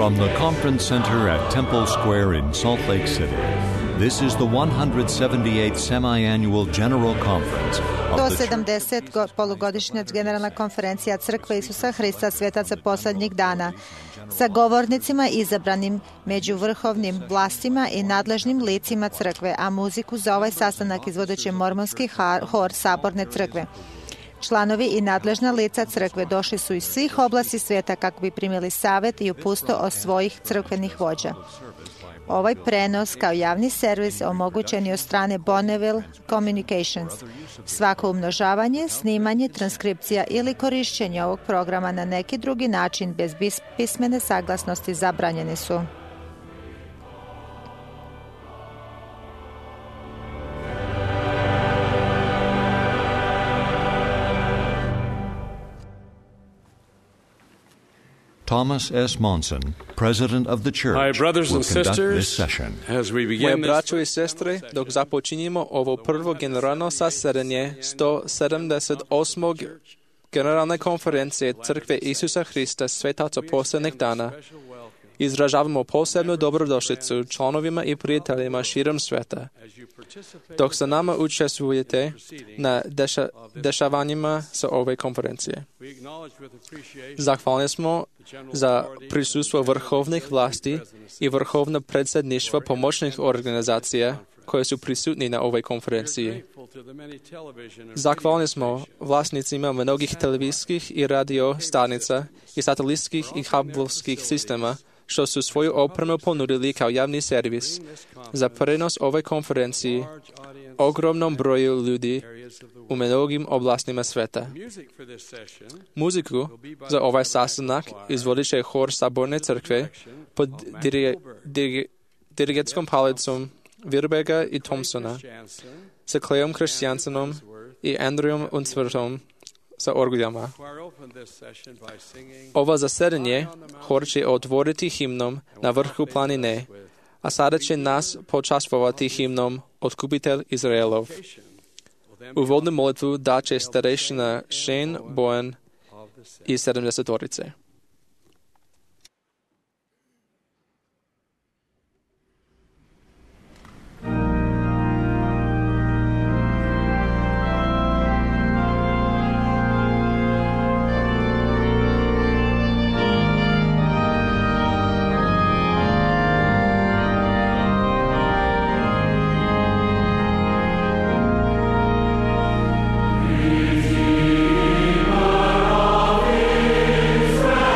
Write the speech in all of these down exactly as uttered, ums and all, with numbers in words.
From the Conference Center at Temple Square in Salt Lake City, this is the one hundred seventy-eighth Semi-Annual General Conference of sto the sedamdeset polugodišnja generalna konferencija Crkve Isusa Hrista svetaca posljednjih dana sa govornicima izabranim među vrhovnim vlastima i nadležnim licima crkve, a muziku za ovaj sastanak izvodit će mormonski hor Saborne crkve. Članovi i nadležna lica crkve došli su iz svih oblasti svijeta kako bi primili savjet i upustvo od svojih crkvenih vođa. Ovaj prenos kao javni servis omogućen je od strane Bonneville Communications. Svako umnožavanje, snimanje, transkripcija ili korišćenje ovog programa na neki drugi način bez pismene saglasnosti zabranjeni su. Thomas S. Monson, president of the church, Hi, brothers will and conduct sisters, this session. as we Moje begin this braćo i sestre, dok započinjemo ovo prvo generalno sasedanje sto sedamdeset osmog generalne konferencije Crkve Isusa Hrista svetaca posljednjih dana, izražavamo posebnu dobrodošlicu članovima i prijateljima širom sveta. Dok sa nama učestvujete na deša, dešavanjima sa ove konferencije. Zahvalni smo za prisustvo vrhovnih vlasti i vrhovno predsjedništvo pomoćnih organizacija koje su prisutni na ovoj konferenciji. Zahvalni smo vlasnicima mnogih televizijskih i radio stanica i satelitskih i kablovskih sistema što su svoju opremu ponudili kao javni servis za prenos ove konferencije ogromnom broju ljudi u mnogim oblastima sveta. Muziku za ovaj sastanak izvodit će hor Saborne crkve pod dirige, dirige, dirigetskom palicom Virbega i Thompsona, sa Cleom Christiansenom i Andrewom Unsworthom sa orguljama. Ovo zasedanje hor će otvoriti himnom Na vrhu planine, a sada će nas počastvovati himnom Otkupitelj Izraelov. Uvodnu molitvu daće starešina Shane Bowen iz sedamdesetorice. Israel.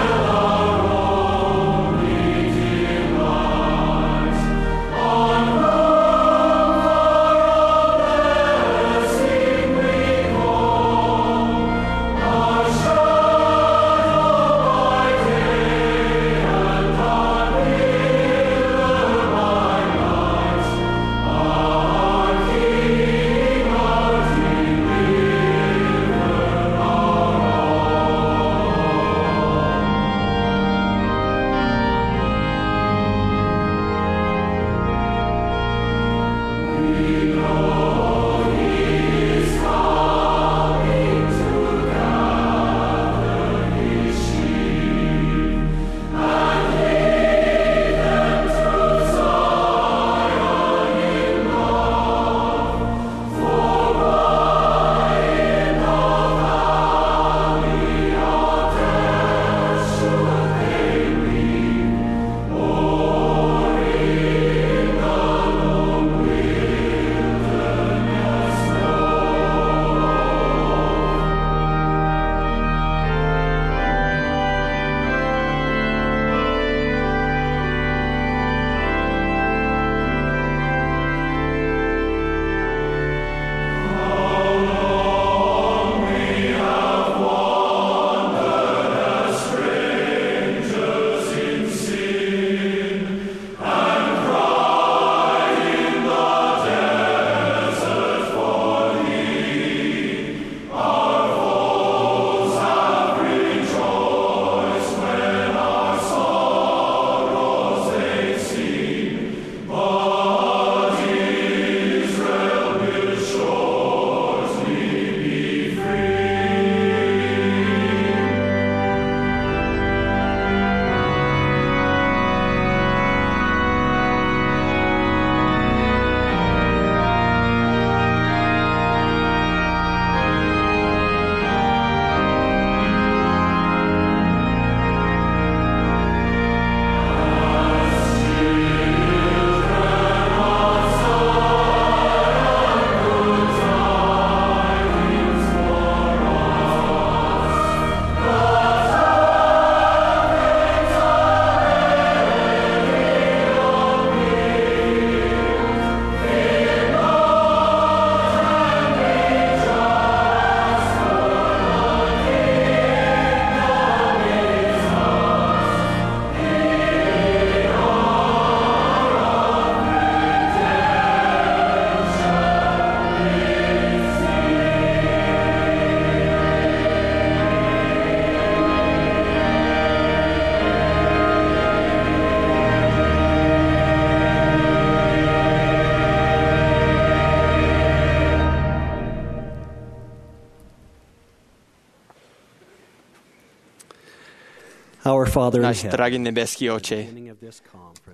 Our Father in Наш heaven, драги небески Отче,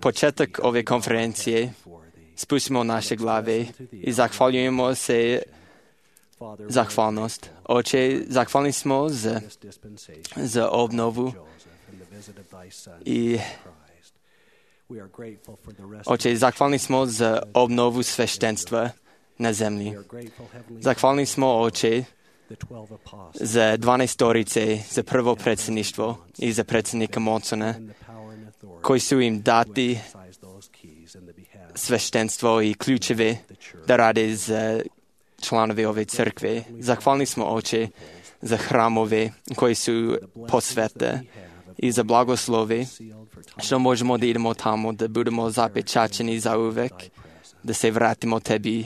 почетък ове конференcije спустимо наши глави и захвалюємо се захвалност. Отче, захвални смо за, за обнову и Отче, захвални смо за обнову свещенства на земли. Захвални смо, Отче, за дванайсторице, за първо председниštvo и за председника Монсона, кои са им дати свещенство и ключове да ради за членове ове църкви. Захвални смо, Отче, за храмове, кои са по света и за благослови, що можемо да идемо тамо, да будемо запечатани за увек, да се вратим от Тебе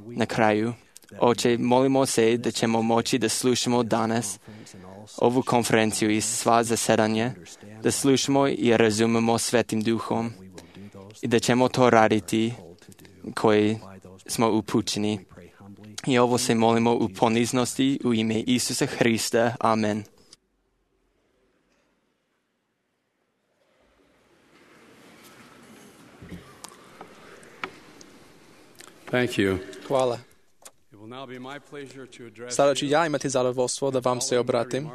накраю. Отче, молимо се да ćemo moći da slušamo danas ovu konferenciju i sva zasedanja, da slušamo i razumemo Svetim Duhom i da ćemo to raditi koji smo upućeni. I ovo se molimo u poniznosti u ime Isusa Hrista. Amen. Thank you. Hvala. Sada ću ja imati zadovoljstvo da vam se obratim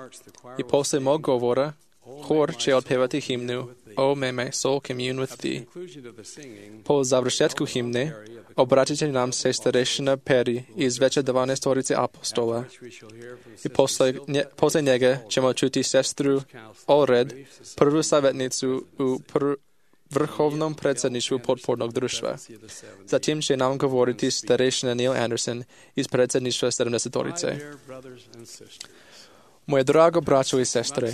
i posle mog govora hor će otpevati himnu O may my soul commune with thee. Po završetku himne obratit će nam se starešina Peri iz veće dvanaestorice apostola i posle, nje, posle njega ćemo čuti sestru Olred, prvu savjetnicu u pr vrhovnom predsjedništvu potpornog društva. Zatim će nam govoriti starešina Neil Anderson iz predsjedništva sedamdesetorice. Moje drago braćo i sestre,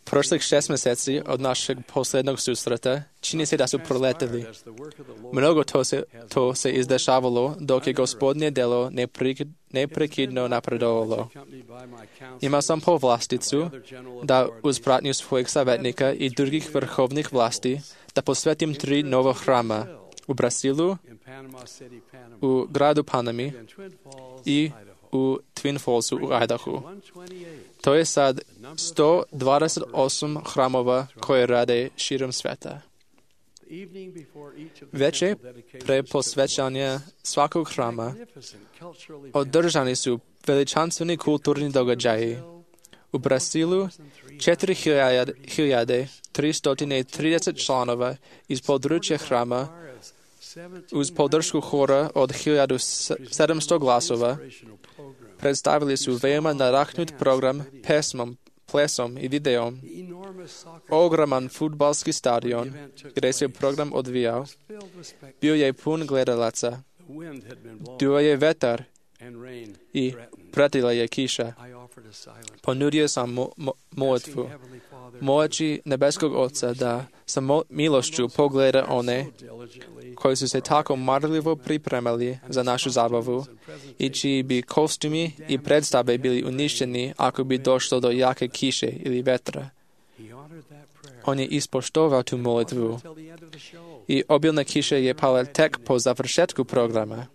prošlih šest mjeseci od našeg posljednog susreta čini se da su proleteli. Mnogo to se, to se izdešavalo dok je Gospodnje delo neprekidno napredovalo. Imao sam povlasticu da uz pratnju svojeg savjetnika i drugih vrhovnih vlasti da posvetim tri nova hrama u Brazilu, u gradu Panami i u Twin Fallsu u Idahu. To je sad sto dvadeset osam hramova koje rade širom sveta. Veče pre posvećanja svakog hrama održani su veličanstveni kulturni događaji. U Brazilu četiri hiljade tristo trideset članova iz područja hrama uz podršku hora od hiljadu sedamsto glasova predstavili su veoma nadahnut program pesmom, plesom i videom. Ogroman fudbalski stadion gdje se program odvijao bio je pun gledalaca. Duo je vetar i pratila je kiša. Ponudio sam mo mo molitvu. Moći nebeskog Oca da sa milošću pogleda one koji su se tako marljivo pripremali za našu zabavu i čiji bi kostumi i predstave bili uništeni ako bi došlo do jake kiše ili vetra. On je ispoštovao tu molitvu i obilna kiša je pala tek po završetku programa.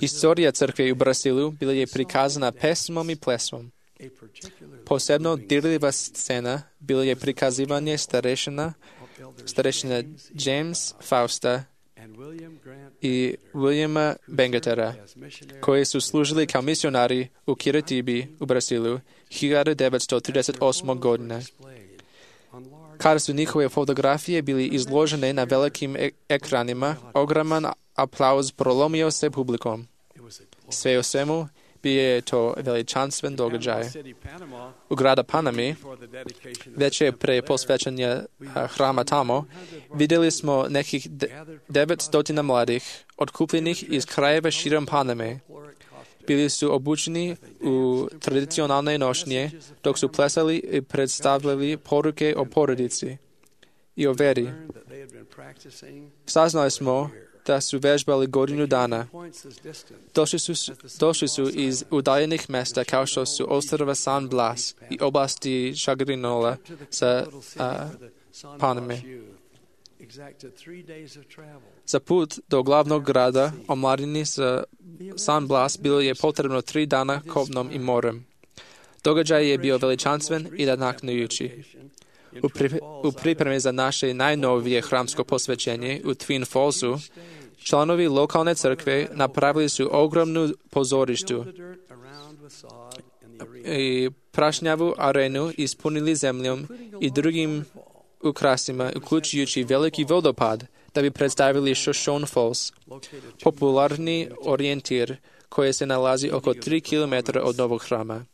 Istorija crkve u Brazilu bila je prikazana pesmom i plesom. Posebno dirljiva scena bila je prikazivanje starešina, starešina James Fausta i Williama Bengatera, koji su služili kao misionari u Kiritibi u Brazilu hiljadu devetsto trideset osme. godine. Kada su njihove fotografije bili izložene na velikim ek ekranima, ogroman aplauz prolomio se publikom. Sve u svemu bio je to veličanstven događaj. U grada Panami, već je pre posvećanja hrama tamo, vidjeli smo nekih devetsto mladih, otkupljenih iz krajeva širom Paname. Bili su obučeni u tradicionalne nošnje, dok su plesali i predstavljali poruke o porodici i o veri. Saznali smo da su vežbali godinu dana. Došli su, došli su iz udaljenih mesta kao što su ostrva San Blas i oblasti Šagrinola sa a, Paname. Za put do glavnog grada omladini sa San Blas bilo je potrebno tri dana kopnom i morem. Događaj je bio veličanstven i nadahnujući. U, pri, u pripremi za naše najnovije hramsko posvećenje u Twin Fallsu, članovi lokalne crkve napravili su ogromnu pozorištu i prašnjavu arenu ispunili zemljom i drugim ukrasima, uključujući veliki vodopad, da bi predstavili Shoshone Falls, popularni orijentir koji se nalazi oko tri kilometra od novog hrama.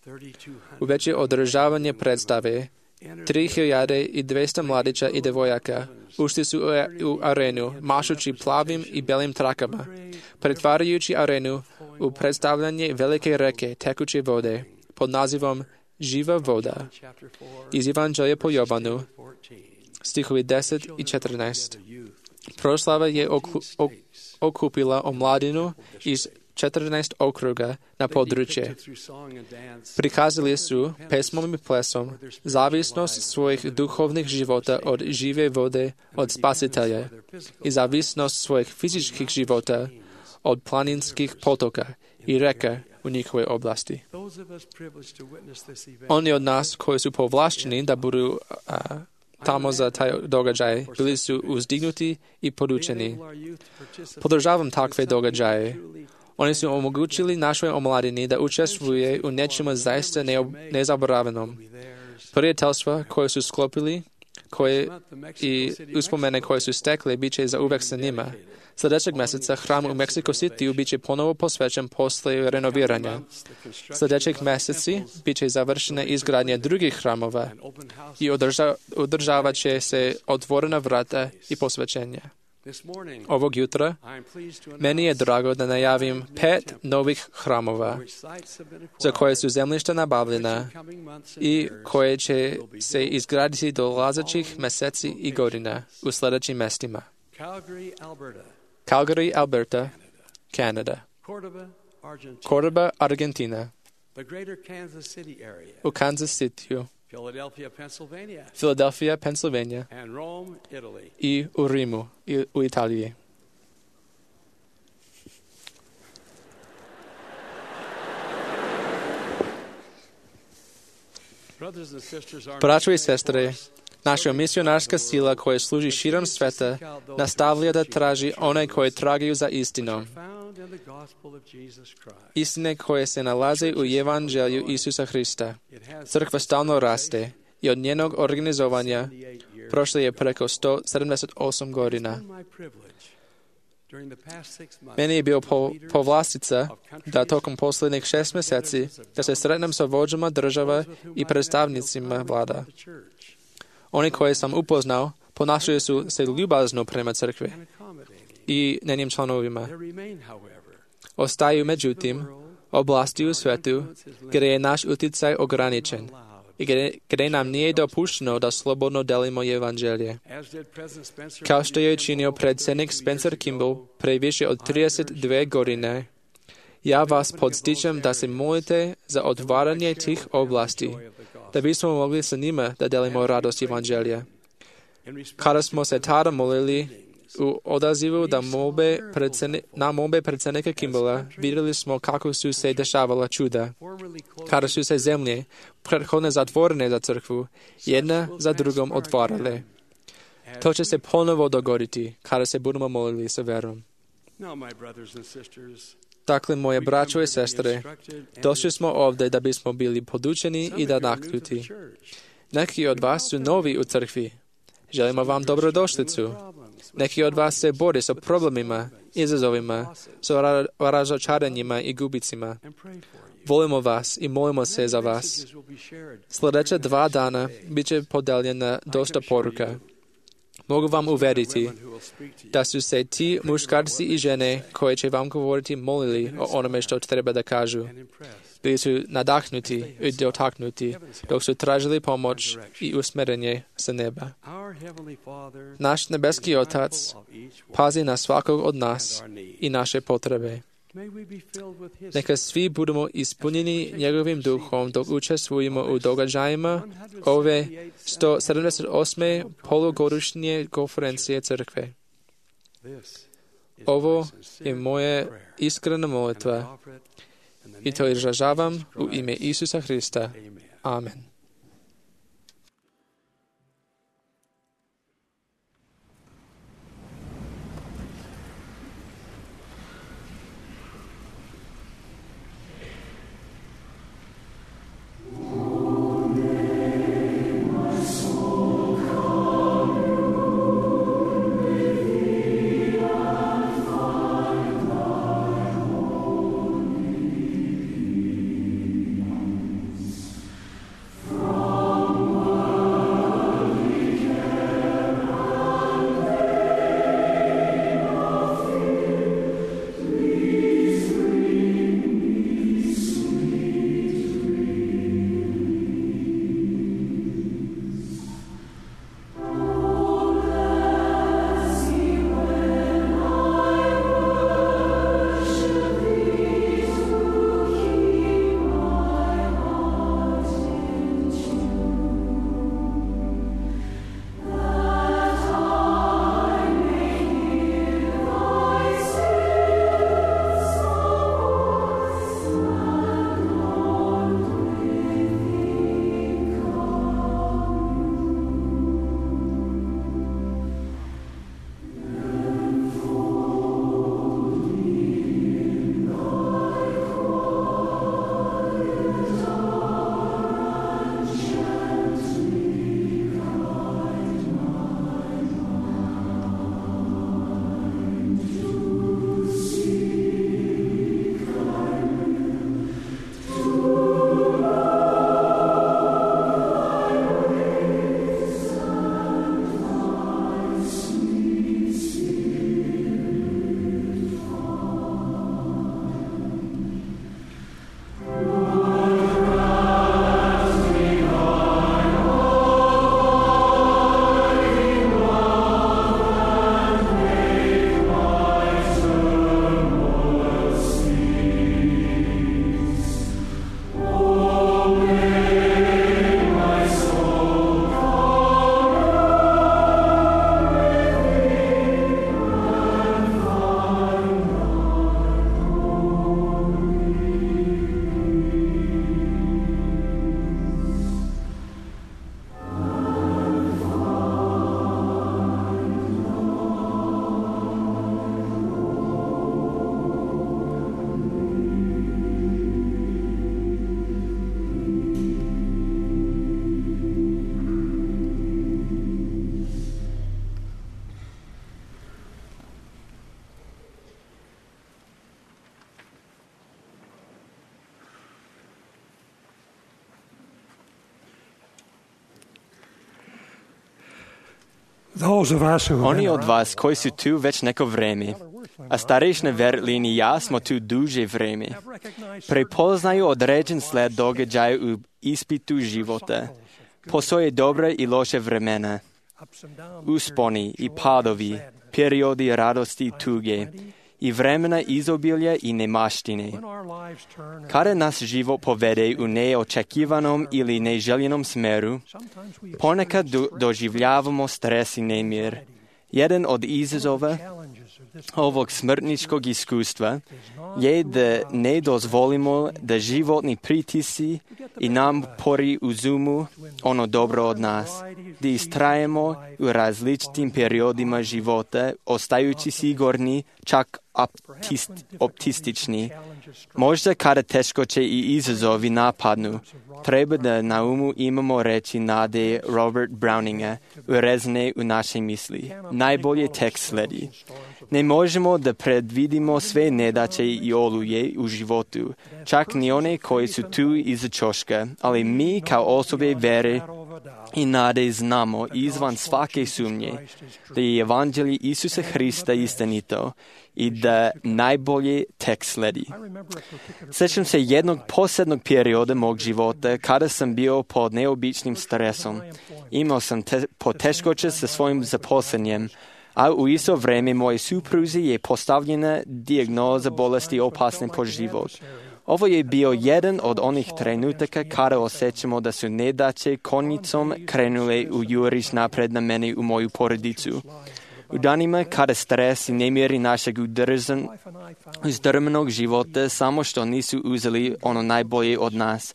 U veće održavanje predstave, tri hiljade dvesta mladića i devojaka ušli su u arenu, mašući plavim i belim trakama, pretvarajući arenu u predstavljanje velike reke tekuće vode pod nazivom Živa voda. Iz Evanđelja po Jovanu, stihovi deset i četrnaest. Proslava je oku, ok, okupila omladinu iz četrnaest okruga na područje. Prikazali su pesmom i plesom zavisnost svojih duhovnih života od žive vode od Spasitelja i zavisnost svojih fizičkih života od planinskih potoka i reka u njihovoj oblasti. Oni od nas koji su povlašteni da budu a, tamo za taj događaj, bili su uzdignuti i podučeni. Podržavam takve događaje. Oni su omogućili našoj omladini da učestvuje u nečemu zaista nezaboravljenom. Prijateljstva koje su sklopili koje i uspomene koje su stekli bit će za uvek sa njima. Sljedećeg mjeseca hram u Mexico City bit će ponovo posvećen posle renoviranja. Sljedećeg mjeseci bit će završena izgradnja drugih hramova i održa, održavat će se otvorena vrata i posvećenja. Ovog jutra meni je drago da najavim pet novih hramova za koje su zemljišta nabavljena i koje će se izgraditi do dolazećih mjeseci i godina u sljedećim mjestima. Calgary, Alberta, Canada. Cordoba, Argentina. U Kansas City. Philadelphia, Pennsylvania, Philadelphia, Pennsylvania and Rome, Italy. I u Rimu, i u Italiji. Braćo i sestre, naša misionarska sila koja služi širom sveta nastavlja da traži one koje tragaju za istinom. Istine koje se nalaze u Evanđelju Isusa Hrista. Crkva stalno raste i od njenog organizovanja prošlo je preko sto sedamdeset osam godina. Meni je bio po, povlastica da tokom posljednjih šest mjeseci da se sretnem sa vođama država i predstavnicima vlada. Oni koje sam upoznao ponašaju su se ljubazno prema crkvi i njenim članovima. Ostaju, međutim, oblasti u svetu gdje je naš utjecaj ograničen i gdje, gdje nam nije dopušteno da slobodno delimo evanđelje. Kao što je činio predsjednik Spencer Kimball pre više od trideset dve godine, ja vas podstičem da se molite za otvaranje tih oblasti, da bismo mogli sa njima da delimo radost evanđelja. Kada smo se tada molili u odazivu da molbe predsjedni, na molbe predsjednika Kimballa, vidjeli smo kako su se dešavala čuda. Kada su se zemlje, prethodne zatvorene za crkvu, jedna za drugom otvarale. To će se ponovo dogoditi kada se budemo molili sa verom. Dakle, moje braćo i sestre, došli smo ovdje da bismo bili podučeni i da naknuti. Neki od vas su novi u crkvi. Želimo vam dobrodošlicu. Neki od vas se bore sa problemima, izazovima, sa razočaranjima i gubicima. Volimo vas i molimo se za vas. Sljedeća dva dana bit će podeljena dosta poruka. Mogu vam uveriti da su se ti muškarci i žene koje će vam govoriti molili o onome što treba da kažu. Bili su nadahnuti i dotaknuti dok su tražili pomoć i usmjerenje sa neba. Naš nebeski Otac pazi na svakog od nas i naše potrebe. Neka svi budemo ispunjeni njegovim duhom dok učestvujemo u događajima ove sto sedamdeset osme polugodišnje konferencije crkve. Ovo je moja iskrena molitva i to izražavam u ime Isusa Hrista. Amen. Oni od vas koji su tu već neko vreme, a starešine Verlin i ja smo tu duže vreme, prepoznaju određen sled događaja u ispitu života. Postoje dobre i loše vremena, usponi i padovi, periodi radosti i tuge, i vremena izobilja i nemaštine. Kada nas život povede u neočekivanom ili neželjenom smeru, ponekad do, doživljavamo stres i nemir. Jedan od izazova ovog smrtničkog iskustva je da ne dozvolimo da životni pritisci i napori uzumu ono dobro od nas, da istrajemo u različitim periodima života, ostajući sigurni, čak optist, optistični. Možda kada teškoće i izazovi napadnu, treba da na umu imamo reči nade Robert Browninga, urezane u naše misli. Najbolje tek sledi. Ne možemo da predvidimo sve nedaće i oluje u životu, čak ni one koji su tu iza ćoška, ali mi kao osobe vere i nade znamo izvan svake sumnje da je evanđelje Isusa Hrista istinito i da najbolje tek sledi. Sjećam se jednog posebnog perioda mog života kada sam bio pod neobičnim stresom. Imao sam te, poteškoće sa svojim zaposlenjem, a u isto vrijeme moje supruzi je postavljena dijagnoza bolesti opasne po život. Ovo je bio jedan od onih trenutaka kada osjećamo da su nedaće konjicom krenule u juriš napred na mene u moju porodicu. U danima kada stres i nemiri našeg udržan, uzdrmanog života samo što nisu uzeli ono najbolje od nas.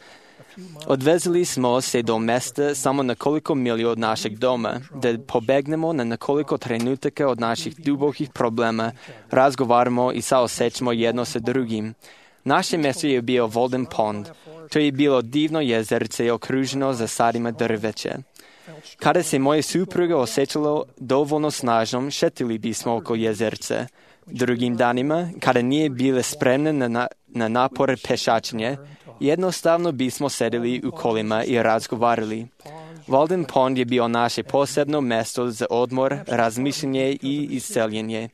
Odvezli smo se do mjesta samo nekoliko milija od našeg doma, da pobegnemo na nekoliko trenutaka od naših dubokih problema, razgovaramo i saosjećamo jedno sa drugim. Naše mjesto je bio Walden Pond. To je bilo divno jezerce okruženo zasadima drveća. Kada se moja supruga osjećala dovoljno snažnom, šetili bismo oko jezerce. Drugim danima, kada nije bila spremna na, na, na napor pešačenja, jednostavno bismo sedeli u kolima i razgovarali. Walden Pond je bio naše posebno mjesto za odmor, razmišljanje i isceljenje.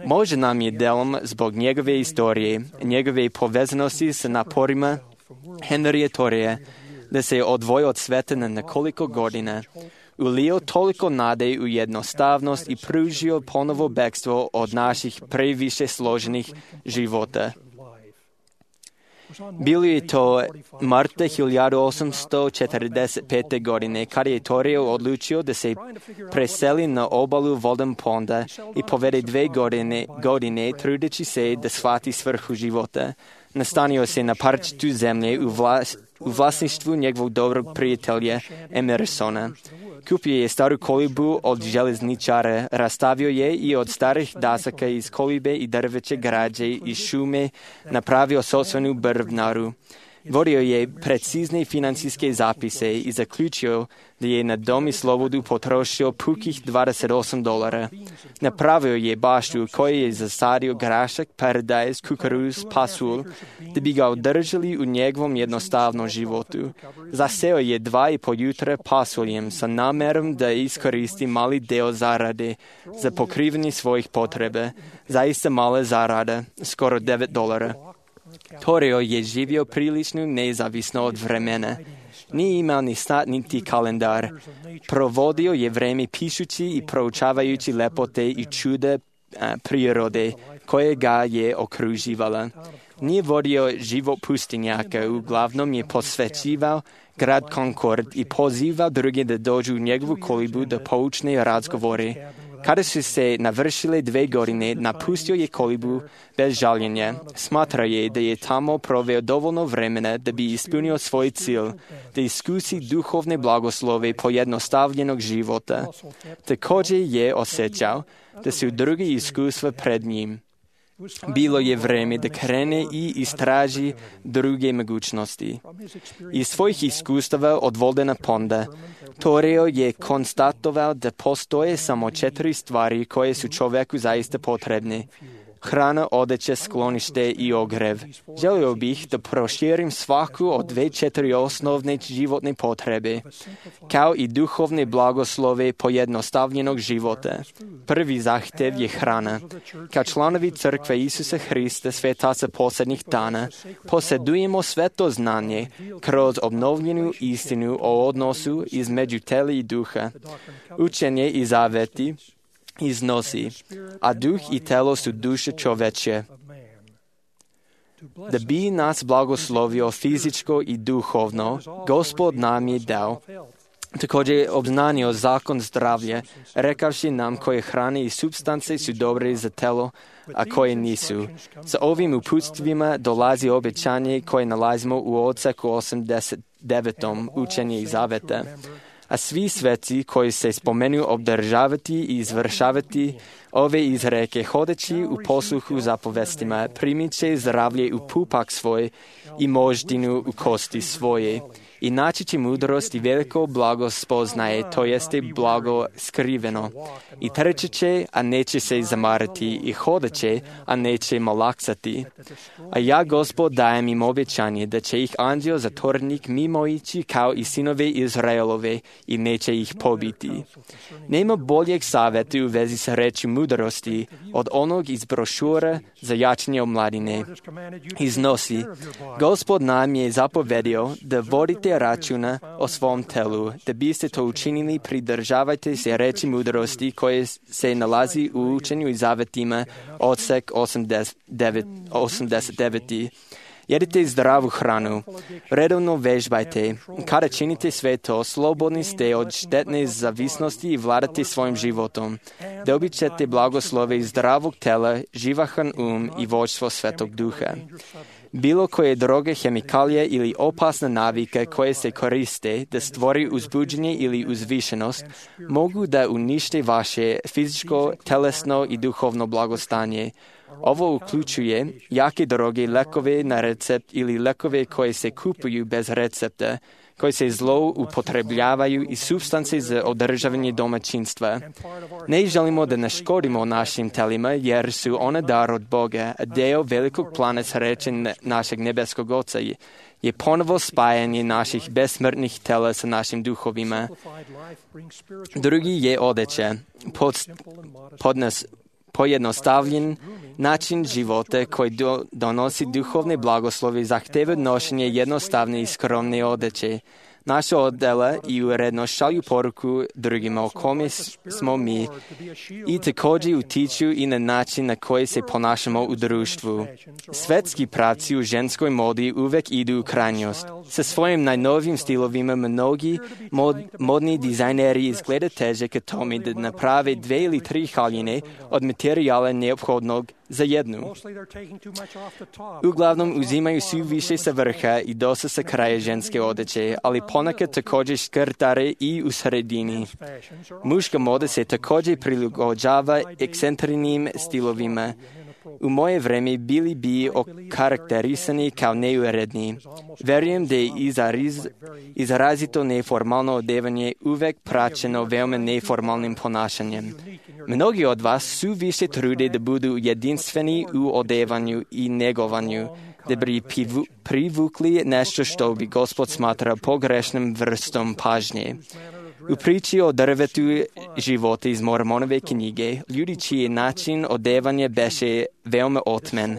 Možda nam je delom zbog njegove istorije, njegove povezanosti sa naporima Henrya Thoreya, da se je odvojio od sveta na nekoliko godina, ulio toliko nade u jednostavnost i pružio ponovo bekstvo od naših previše složenih života. Bilo je to marta hiljadu osamsto četrdeset pete. godine kada je Thoreau odlučio da se preseli na obalu Walden Ponda i povede dve godine, godine trudeći se da shvati svrhu života. Nastanio se na parčetu zemlje u, vlas, u vlasništvu njegovog dobrog prijatelja Emersona. Kupio je staru kolibu od železničara, rastavio je i od starih dasaka iz kolibe i drveće građe i šume napravio sopstvenu brvnaru. Vodio je precizne financijske zapise i zaključio da je na dom i slobodu potrošio pukih dvadeset osam dolara. Napravio je baštu koji je zasadio grašak, paradajz, kukuruz, pasulj, da bi ga održali u njegovom jednostavnom životu. Zaseo je dva i po jutra pasuljem sa namerom da iskoristi mali deo zarade za pokrivanje svojih potrebe. Zaista mala zarada, skoro devet dolara. Thoreau je živio prilično nezavisno od vremena. Nije imao ni sat niti kalendar. Provodio je vreme pišući i proučavajući lepote i čuda a, prirode koje ga je okruživala. Nije vodio život pustinjaka, uglavnom je posvećivao grad Concord i pozivao druge da dođu u njegovu kolibu da poučne razgovore. Kada su se navršile dve godine, napustio je kolibu bez žaljenja. Smatra je da je tamo proveo dovoljno vremena da bi ispunio svoj cilj, da iskusi duhovne blagoslove pojednostavljenog života. Također je osjećao da su drugi iskustva pred njim. Bilo je vreme da krene i istraži druge mogućnosti. Iz svojih iskustava od Waldena Ponda, Thoreau je konstatovao da postoje samo četiri stvari koje su čovjeku zaista potrebne. Hrana, odeća, sklonište i ogrev. Želio bih da proširim svaku od dve četiri osnovne životne potrebe, kao i duhovne blagoslove pojednostavljenog života. Prvi zahtjev je hrana. Kao članovi crkve Isusa Hrista, svetaca posljednjih dana, posjedujemo sve to znanje kroz obnovljenu istinu o odnosu između tela i duha. Učenje i zaveti iznosi, a duh i telo su duše čoveče. Da bi nas blagoslovio fizičko i duhovno, Gospod nam je dao. Također je obznanio zakon zdravlja, rekavši nam koje hrane i supstance su dobre za telo, a koje nisu. Sa ovim uputstvima dolazi obećanje koje nalazimo u odseku osamdeset devetom učenje i zaveta. A svi sveci koji se spomenuju obdržavati i izvršavati ove izreke hodeći u posluhu zapovestima, primit će zdravlje u pupak svoj i moždinu u kosti svoje. I naći će mudrost i veliko blago spoznaje, to jeste blago skriveno. I trče će, a neće se zamarati, i hodeće, a neće malaksati. A ja, Gospod, dajem im obećanje da će ih anđeo zatvornik mimo ići kao i sinove Izraelove i neće ih pobiti. Nema boljeg savjeta u vezi sa reči mudrosti od onog iz brošura za jačanje omladine. Iznosi, Gospod nam je zapovedio da vodite vodite računa o svom telu. Da biste to učinili, pridržavajte se reči mudrosti koje se nalazi u učenju i zavetima, odsek osamdeset devet. Jedite zdravu hranu, redovno vežbajte. Kada činite sve to, slobodni ste od štetne zavisnosti i vladate svojim životom. Dobit ćete blagoslove iz zdravog tela, živahan um i vođstvo Svetog Duha. Bilo koje droge, hemikalije ili opasne navike koje se koriste da stvori uzbuđenje ili uzvišenost, mogu da unište vaše fizičko, telesno i duhovno blagostanje. Ovo uključuje jake droge, lekove na recept ili lekove koje se kupuju bez recepta, koje se zloupotrebljavaju i supstance za održavanje domaćinstva. Ne želimo da naškodimo našim telima jer su one dar od Boga, a deo velikog plana sreće našeg nebeskog Oca je, je ponovo spajanje naših besmrtnih tela sa našim duhovima. Drugi je odeća, pod, podnos, pojednostavljen način života koji do, donosi duhovne blagoslove zahteva nošenje jednostavne i skromne odeće. Naša odela i urednost šalju poruku drugima o kome smo mi i također utiču i na način na koji se ponašamo u društvu. Svetski pravci u ženskoj modi uvek idu u krajnjost. Sa svojim najnovijim stilovima mnogi mod, modni dizajneri izgleda teže ka tome da naprave dve ili tri haljine od materijala neophodnog za jednu. Uglavnom uzimaju svi više sa vrha i dosta sa kraja ženske odeće, ali ponekad također škrtare i u sredini. Muška moda se također prilagođava ekscentričnim stilovima. U moje vreme bili bi okarakterisani kao neuredni. Verujem da je izraz, izrazito neformalno odevanje uvek praćeno veoma neformalnim ponašanjem. Mnogi od vas su više trude da budu jedinstveni u odevanju i negovanju, da bi privukli nešto što bi Gospod smatrao pogrešnom vrstom pažnje. U priči o drvetu života iz Mormonove knjige, ljudi čiji način odevanja beše veoma otmen.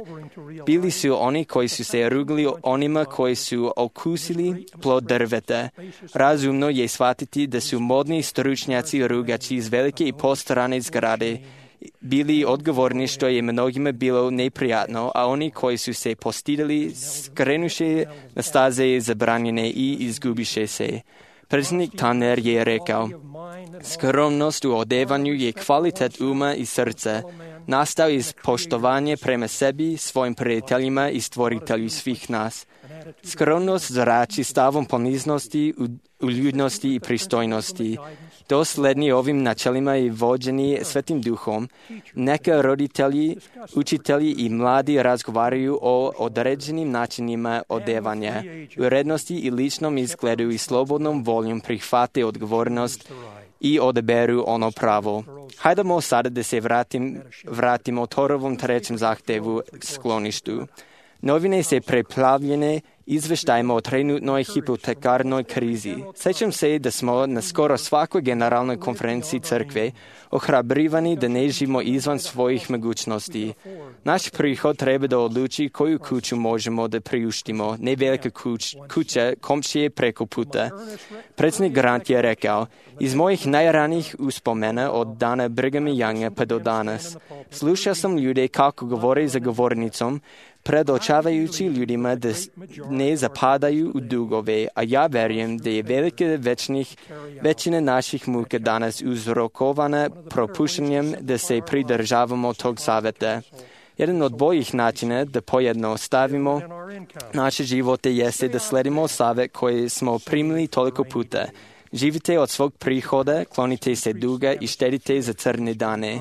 Bili su oni koji su se rugli onima koji su okusili plod drveta. Razumno je shvatiti da su modni stručnjaci rugači iz velike i postarane zgrade bili odgovorni što je mnogima bilo neprijatno, a oni koji su se postidali skrenuše na staze zabranjene i izgubiše se. Predsjednik Tanner je rekao, skromnost u odevanju je kvalitet uma i srca, nastao iz poštovanja prema sebi, svojim prijateljima i stvoritelju svih nas. Skromnost zrači stavom poniznosti, uljudnosti i pristojnosti. Dosledni ovim načelima i vođeni Svetim Duhom, neka roditelji, učitelji i mladi razgovaraju o određenim načinima odevanja, urednosti i ličnom izgledu i slobodnom voljom prihvate odgovornost i odaberu ono pravo. Hajdemo sada da se vratim, vratimo Torovom trećem zahtevu skloništu. Novine se preplavljene izveštajima o trenutnoj hipotekarnoj krizi. Sjećam se da smo na skoro svakoj generalnoj konferenciji crkve ohrabrivani da ne živimo izvan svojih mogućnosti. Naš prihod treba da odluči koju kuću možemo da priuštimo, ne velika kuć, kuća komšije preko puta. Predsjednik Grant je rekao, iz mojih najranijih uspomena od dana Brighama Younga pa do danas, slušao sam ljude kako govore za govornicom, predočavajući ljudima da ne zapadaju u dugove, a ja verujem da je velika večnih, većina naših muka danas uzrokovana propuštanjem da se pridržavamo tog savjeta. Jedan od boljih načina da pojednostavimo naše živote jeste da sledimo savjet koji smo primili toliko puta. Živite od svog prihoda, klonite se duga i štedite za crne dane.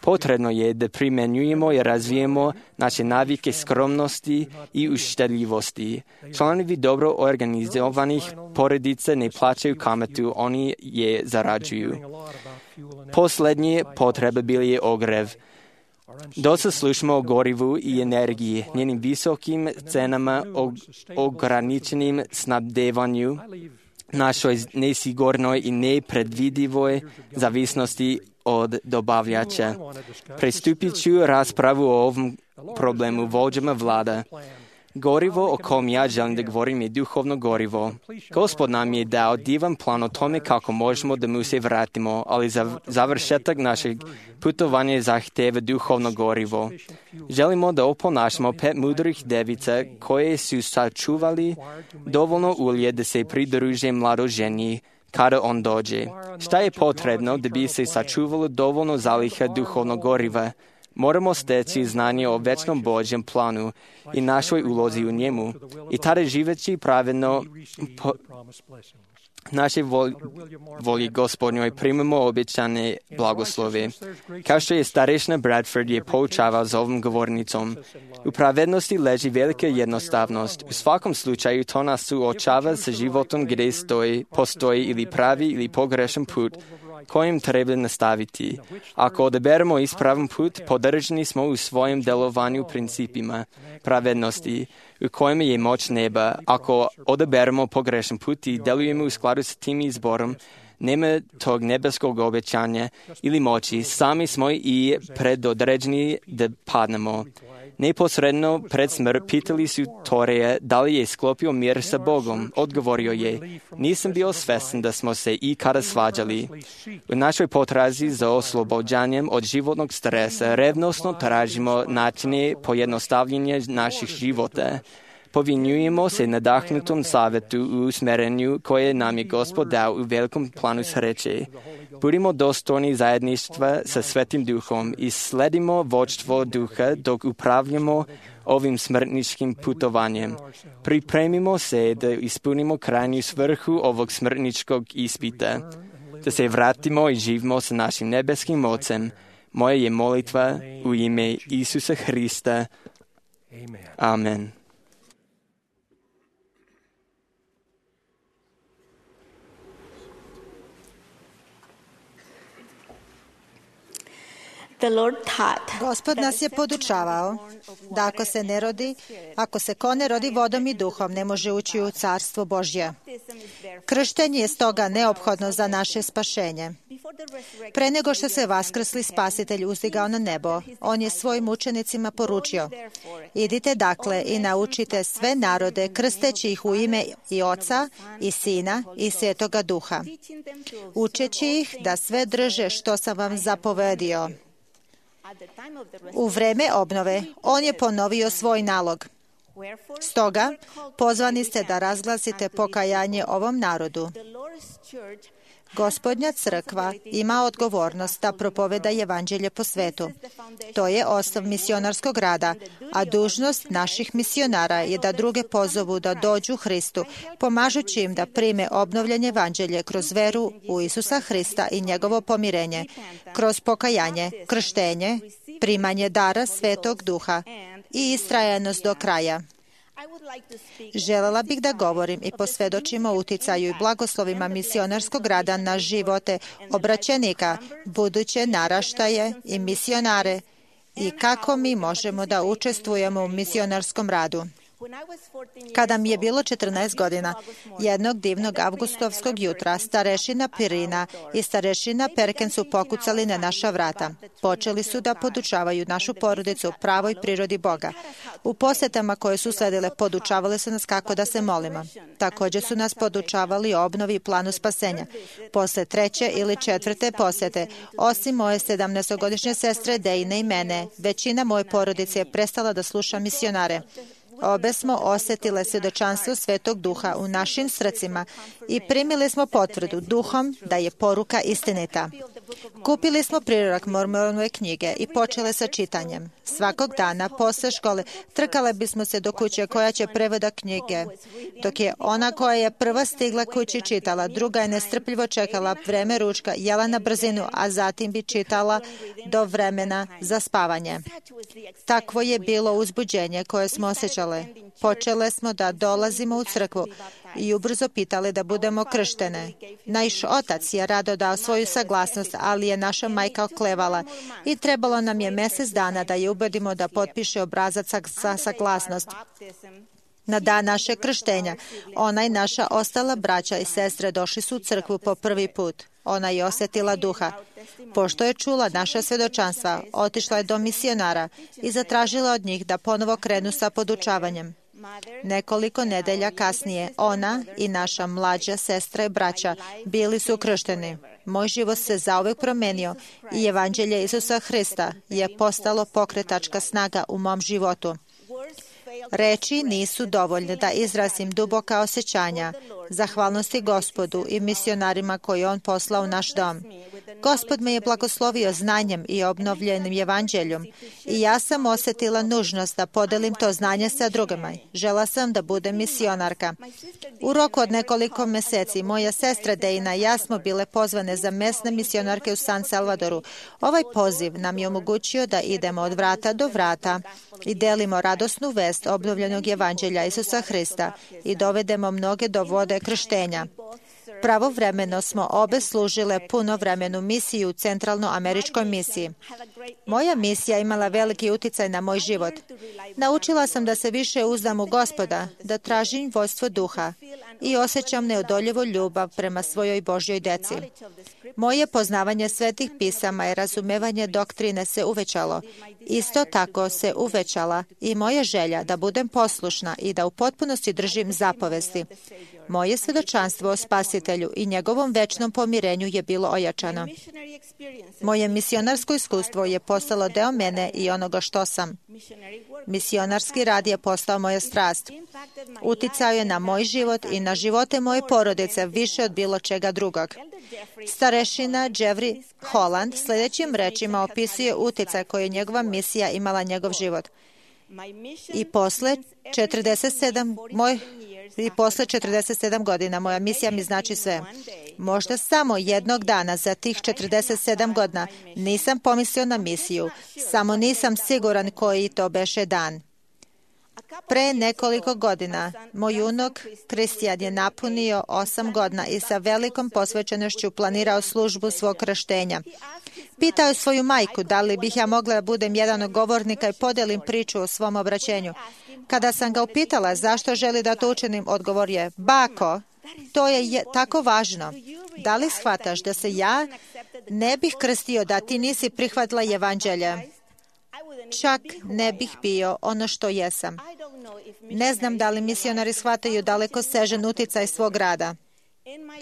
Potrebno je da primjenjujemo i razvijemo naše navike skromnosti i uštedljivosti. Članovi dobro organizovanih porodica ne plaćaju kamatu, oni je zarađuju. Posljednje potrebe bili je ogrev. Dosta slušamo o gorivu i energiji, njenim visokim cenama, o ograničenim snabdevanju, našoj nesigurnoj i nepredvidivoj zavisnosti od dobavljača. Pristupit ću raspravu o ovom problemu vođama vlada. Gorivo o kom ja želim da govorim je duhovno gorivo. Gospod nam je dao divan plan o tome kako možemo da mu se vratimo, ali za završetak našeg putovanja zahteva duhovno gorivo. Želimo da oponašamo pet mudrih devica koje su sačuvali dovoljno ulje da se pridruže mladoženji kada on dođe. Šta je potrebno da bi se sačuvalo dovoljno zaliha duhovnog goriva? Moramo steći znanje o večnom Božjem planu i našoj ulozi u njemu i tada živeći pravedno po naše volji Gospodnjoj primamo obećane blagoslove. Kao što je starešna Bradford je poučavao za ovom govornicom, u pravednosti leži velika jednostavnost. U svakom slučaju to nas suočava sa životom gdje stoji, postoji ili pravi ili pogrešan put kojim treba nastaviti. Ako odaberemo ispravan put, podržani smo u svojem delovanju principima pravednosti, u kojem je moć neba. Ako odaberemo pogrešan put i delujemo u skladu s tim izborom, nema tog nebeskog obećanja ili moći, sami smo i predodređeni da padnemo. Neposredno pred smrt pitali su Toreja da li je sklopio mir sa Bogom. Odgovorio je, nisam bio svestan da smo se ikada svađali. U našoj potrazi za oslobođanjem od životnog stresa revnosno tražimo načine pojednostavljenja naših života. Povinjujemo se nadahnutom savjetu u usmerenju koje nam je Gospod dao u velikom planu sreće. Budimo dostojni zajedništva sa Svetim Duhom i sledimo vođstvo Duha dok upravljamo ovim smrtničkim putovanjem. Pripremimo se da ispunimo krajnju svrhu ovog smrtničkog ispita, da se vratimo i živimo sa našim nebeskim Ocem. Moja je molitva u ime Isusa Hrista. Amen. Gospod nas je podučavao da ako se ne rodi, ako se ko ne rodi vodom i duhom, ne može ući u carstvo Božje. Krštenje je stoga neophodno za naše spašenje. Pre nego što se vaskrsli Spasitelj uzdigao na nebo, on je svojim učenicima poručio: idite dakle i naučite sve narode, krsteći ih u ime i Oca i Sina i Svetoga Duha, učeći ih da sve drže što sam vam zapovedio. U vreme obnove, on je ponovio svoj nalog. Stoga, pozvani ste da razglasite pokajanje ovom narodu. Gospodnja crkva ima odgovornost da propoveda evanđelje po svetu. To je osnov misionarskog rada, a dužnost naših misionara je da druge pozovu da dođu Hristu, pomažući im da prime obnovljanje evanđelje kroz veru u Isusa Hrista i njegovo pomirenje, kroz pokajanje, krštenje, primanje dara Svetog Duha i istrajanost do kraja. Želela bih da govorim i posvjedočim o uticaju i blagoslovima misionarskog rada na živote obraćenika, buduće naraštaje i misionare i kako mi možemo da učestvujemo u misionarskom radu. Kada mi je bilo četrnaest godina, jednog divnog avgustovskog jutra, starešina Pirina i starešina Perken su pokucali na naša vrata. Počeli su da podučavaju našu porodicu pravoj prirodi Boga. U posjetama koje su sledile, podučavali su nas kako da se molimo. Također su nas podučavali o obnovi i planu spasenja. Posle treće ili četvrte posjete, osim moje sedamnaestogodišnje sestre Dejne i mene, većina moje porodice je prestala da sluša misionare. Obe smo osjetile svjedočanstvo Svetog Duha u našim srcima i primili smo potvrdu Duhom da je poruka istinita. Kupili smo prirodak Mormonove knjige i počele sa čitanjem. Svakog dana, posle škole, trkale bismo se do kuće koja će prevoda knjige. Dok je ona koja je prva stigla kući čitala, druga je nestrpljivo čekala vreme ručka, jela na brzinu, a zatim bi čitala do vremena za spavanje. Takvo je bilo uzbuđenje koje smo osjećale. Počele smo da dolazimo u crkvu i ubrzo pitali da budemo krštene. Naš otac je rado dao svoju saglasnost, ali je naša majka oklevala i trebalo nam je mjesec dana da je ubedimo da potpiše obrazac za saglasnost. Na dan naše krštenja, ona i naša ostala braća i sestre došli su u crkvu po prvi put. Ona je osjetila Duha. Pošto je čula naša svjedočanstva, otišla je do misionara i zatražila od njih da ponovo krenu sa podučavanjem. Nekoliko nedelja kasnije, ona i naša mlađa sestra i braća bili su kršteni. Moj život se zauvek promenio i evanđelje Isusa Hrista je postalo pokretačka snaga u mom životu. Reči nisu dovoljne da izrazim duboka osjećanja, zahvalnosti Gospodu i misionarima koje On poslao u naš dom. Gospod me je blagoslovio znanjem i obnovljenim evanđeljom i ja sam osjetila nužnost da podelim to znanje sa drugima. Žela sam da budem misionarka. U roku od nekoliko meseci moja sestra Dejna i ja smo bile pozvane za mesne misionarke u San Salvadoru. Ovaj poziv nam je omogućio da idemo od vrata do vrata i delimo radosnu vest obnovljenog evanđelja Isusa Hrista i dovedemo mnoge do vode krštenja. Pravovremeno smo obe služile punovremenu misiju u Centralnoameričkoj misiji. Moja misija imala veliki uticaj na moj život. Naučila sam da se više uzdam u Gospoda, da tražim vođstvo duha i osjećam neodoljivu ljubav prema svojoj Božjoj deci. Moje poznavanje svetih pisama i razumevanje doktrine se uvećalo. Isto tako se uvećala i moja želja da budem poslušna i da u potpunosti držim zapovesti. Moje svedočanstvo o Spasitelju i njegovom večnom pomirenju je bilo ojačano. Moje misionarsko iskustvo je postalo deo mene i onoga što sam. Misionarski rad je postao moja strast. Uticao je na moj život i na živote moje porodice više od bilo čega drugog. Starešina Jeffrey Holland sljedećim rečima opisuje uticaj koji je njegova misija imala njegov život. I posle četrdeset sedam moj I posle četrdeset sedam godina moja misija mi znači sve. Možda samo jednog dana za tih četrdeset sedam godina nisam pomislio na misiju, samo nisam siguran koji to beše dan. Pre nekoliko godina moj unuk Kristijan je napunio osam godina i sa velikom posvećenošću planirao službu svog krštenja. Pitao je svoju majku da li bih ja mogla da budem jedan od govornika i podelim priču o svom obraćenju. Kada sam ga upitala zašto želi da to učinim, odgovor je: bako, to je, je tako važno. Da li shvataš da se ja ne bih krstio da ti nisi prihvatila evanđelje? Čak ne bih bio ono što jesam. Ne znam da li misionari shvataju daleko sežan uticaj svog rada.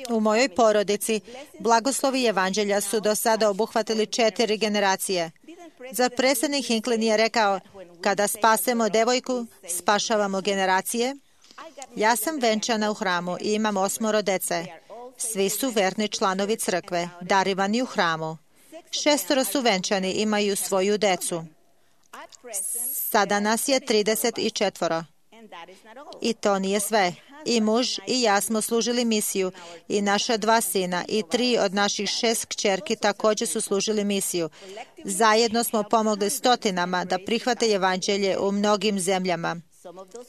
U mojoj porodici blagoslovi evanđelja su do sada obuhvatili četiri generacije. Zar predsjednik Hinckley nije rekao: kada spasemo devojku, spašavamo generacije? Ja sam venčana u hramu i imam osmoro dece. Svi su verni članovi crkve, darivani u hramu. Šestoro su venčani, imaju svoju decu. Sada nas je trideset četiri. I to nije sve. I muž i ja smo služili misiju i naša dva sina i tri od naših šest kćerki također su služili misiju. Zajedno smo pomogli stotinama da prihvate evanđelje u mnogim zemljama.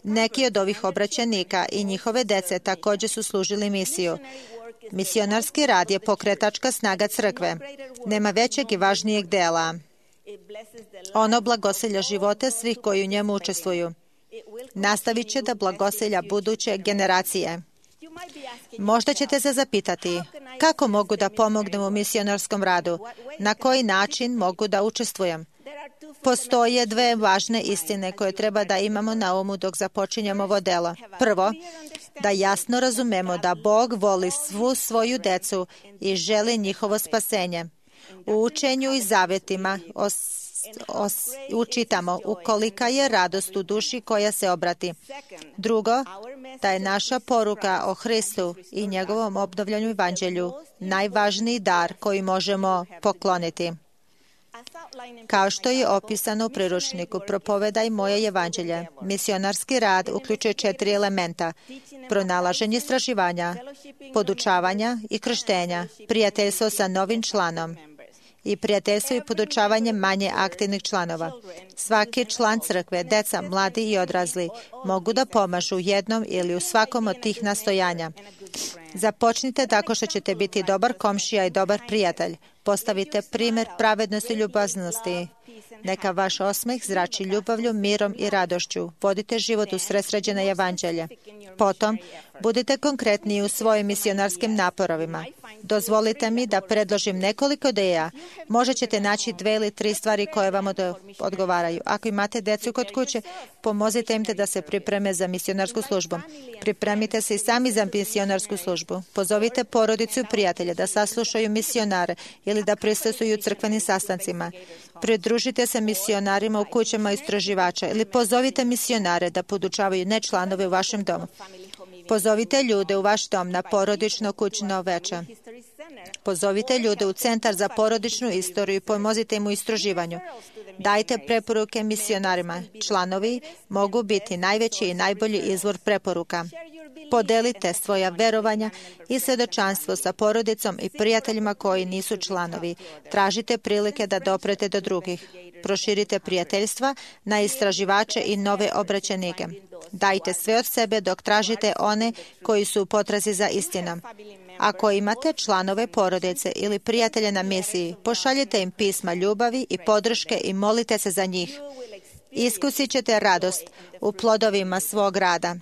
Neki od ovih obraćenika i njihove dece također su služili misiju. Misionarski rad je pokretačka snaga crkve. Nema većeg i važnijeg dela. Ono blagosilja živote svih koji u njemu učestvuju. Nastavit će da blagosilja buduće generacije. Možda ćete se zapitati, kako mogu da pomognem u misionarskom radu? Na koji način mogu da učestvujem? Postoje dve važne istine koje treba da imamo na umu dok započinjemo ovo delo. Prvo, da jasno razumemo da Bog voli svu svoju decu i želi njihovo spasenje. U učenju i zavetima os, os, učitamo ukolika je radost u duši koja se obrati. Drugo, da je naša poruka o Hristu i njegovom obnovljanju evanđelju najvažniji dar koji možemo pokloniti. Kao što je opisano u priručniku Propovedaj moje evanđelje, misionarski rad uključuje četiri elementa: pronalaženje istraživanja, podučavanja i krštenja, prijateljstvo sa novim članom i prijateljstvo i podučavanje manje aktivnih članova. Svaki član crkve, deca, mladi i odrasli, mogu da pomažu jednom ili u svakom od tih nastojanja. Započnite tako što ćete biti dobar komšija i dobar prijatelj. Postavite primjer pravednosti i ljubaznosti. Neka vaš osmeh zrači ljubavlju, mirom i radošću. Vodite život u sredsređene evanđelje. Potom, Budite konkretni u svojim misionarskim naporovima. Dozvolite mi da predložim nekoliko ideja. Možda ćete naći dve ili tri stvari koje vam odgovaraju. Ako imate decu kod kuće, pomozite im te da se pripreme za misionarsku službu. Pripremite se i sami za misionarsku službu. Pozovite porodicu i prijatelje da saslušaju misionare ili da prisustvuju crkvenim sastancima. Pridružite se misionarima u kućama istraživača ili pozovite misionare da podučavaju nečlanove u vašem domu. Pozovite ljude u vaš dom na porodično kućno veče. Pozovite ljude u Centar za porodičnu istoriju i pomozite im u istraživanju. Dajte preporuke misionarima. Članovi mogu biti najveći i najbolji izvor preporuka. Podelite svoja verovanja i svedočanstvo sa porodicom i prijateljima koji nisu članovi. Tražite prilike da doprete do drugih. Proširite prijateljstva na istraživače i nove obraćenike. Dajte sve od sebe dok tražite one koji su u potrazi za istinom. Ako imate članove porodice ili prijatelje na misiji, pošaljite im pisma ljubavi i podrške i molite se za njih. Iskusit ćete radost u plodovima svog rada.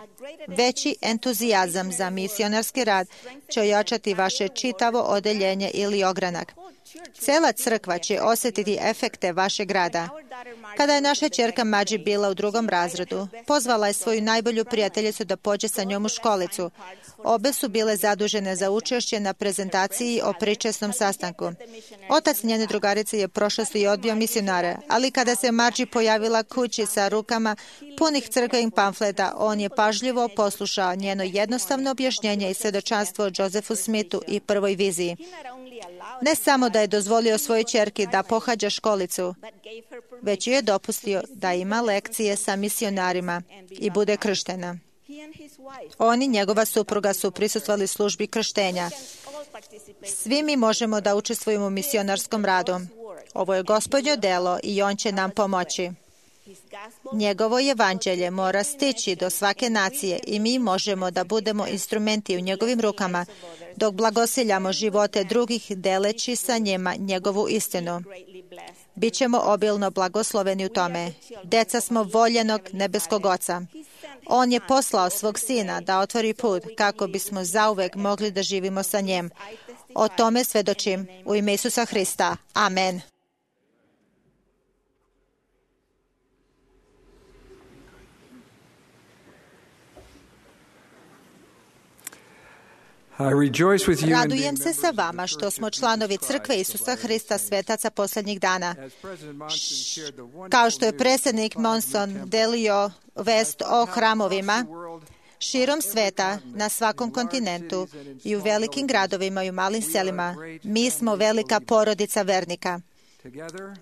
Veći entuzijazam za misionarski rad će ojačati vaše čitavo odeljenje ili ogranak. Cela crkva će osjetiti efekte vašeg rada. Kada je naša ćerka Mađi bila u drugom razredu, pozvala je svoju najbolju prijateljicu da pođe sa njom u školicu. Obe su bile zadužene za učešće na prezentaciji o pričesnom sastanku. Otac njene drugarice je prošlosti i odbio misionare, ali kada se Mađi pojavila kući sa rukama punih crkvenih pamfleta, on je pažljivo poslušao njeno jednostavno objašnjenje i svedočanstvo o Josephu Smithu i prvoj viziji. Ne samo da je dozvolio svojoj ćerki da pohađa školicu, već ju je dopustio da ima lekcije sa misionarima i bude krštena. On i njegova supruga su prisustvovali službi krštenja. Svi mi možemo da učestvujemo u misionarskom radu. Ovo je Gospodnje delo i on će nam pomoći. Njegovo evanđelje mora stići do svake nacije i mi možemo da budemo instrumenti u njegovim rukama dok blagosiljamo živote drugih deleći sa njima njegovu istinu. Bićemo obilno blagosloveni u tome. Deca smo voljenog nebeskog Oca. On je poslao svog Sina da otvori put kako bismo zauvek mogli da živimo sa njim. O tome svedočim u ime Isusa Hrista. Amen. Radujem se sa vama što smo članovi Crkve Isusa Hrista svetaca posljednjih dana. Kao što je predsjednik Monson delio vest o hramovima širom sveta, na svakom kontinentu i u velikim gradovima i u malim selima, mi smo velika porodica vernika.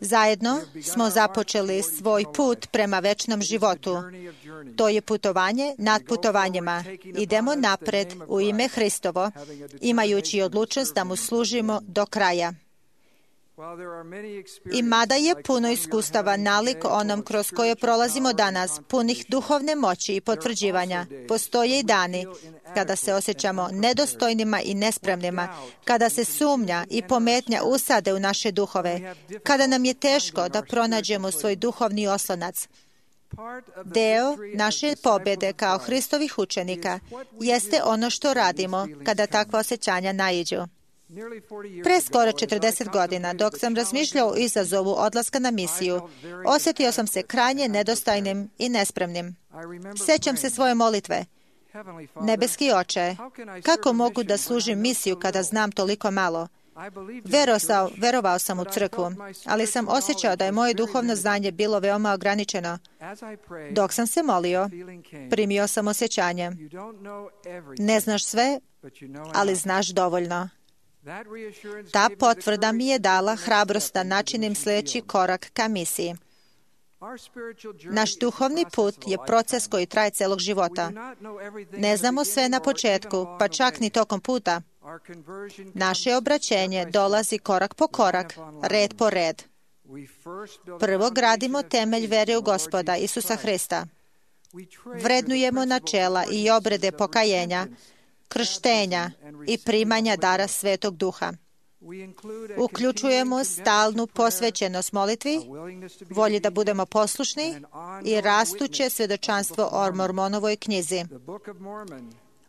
Zajedno smo započeli svoj put prema večnom životu. To je putovanje nad putovanjima. Idemo napred u ime Hristovo, imajući odlučnost da mu služimo do kraja. I mada je puno iskustava nalik onom kroz koje prolazimo danas, punih duhovne moći i potvrđivanja, postoje i dani kada se osjećamo nedostojnima i nespremnima, kada se sumnja i pometnja usade u naše duhove, kada nam je teško da pronađemo svoj duhovni oslonac. Deo naše pobjede kao Hristovih učenika jeste ono što radimo kada takva osjećanja naiđu. Pre skoro četrdeset godina, dok sam razmišljao o izazovu odlaska na misiju, osjetio sam se krajnje nedostojnim i nespremnim. Sećam se svoje molitve. Nebeski Oče, kako mogu da služim misiju kada znam toliko malo? Verovao, verovao sam u crkvu, ali sam osjećao da je moje duhovno znanje bilo veoma ograničeno. Dok sam se molio, primio sam osjećanje. Ne znaš sve, ali znaš dovoljno. Ta potvrda mi je dala hrabrost da načinim sljedeći korak ka misiji. Naš duhovni put je proces koji traje celog života. Ne znamo sve na početku, pa čak ni tokom puta. Naše obraćenje dolazi korak po korak, red po red. Prvo gradimo temelj vere u Gospoda Isusa Hrista. Vrednujemo načela i obrede pokajenja, krštenja i primanja dara Svetog Duha. Uključujemo stalnu posvećenost molitvi, volji da budemo poslušni i rastuće svjedočanstvo o Mormonovoj knjizi.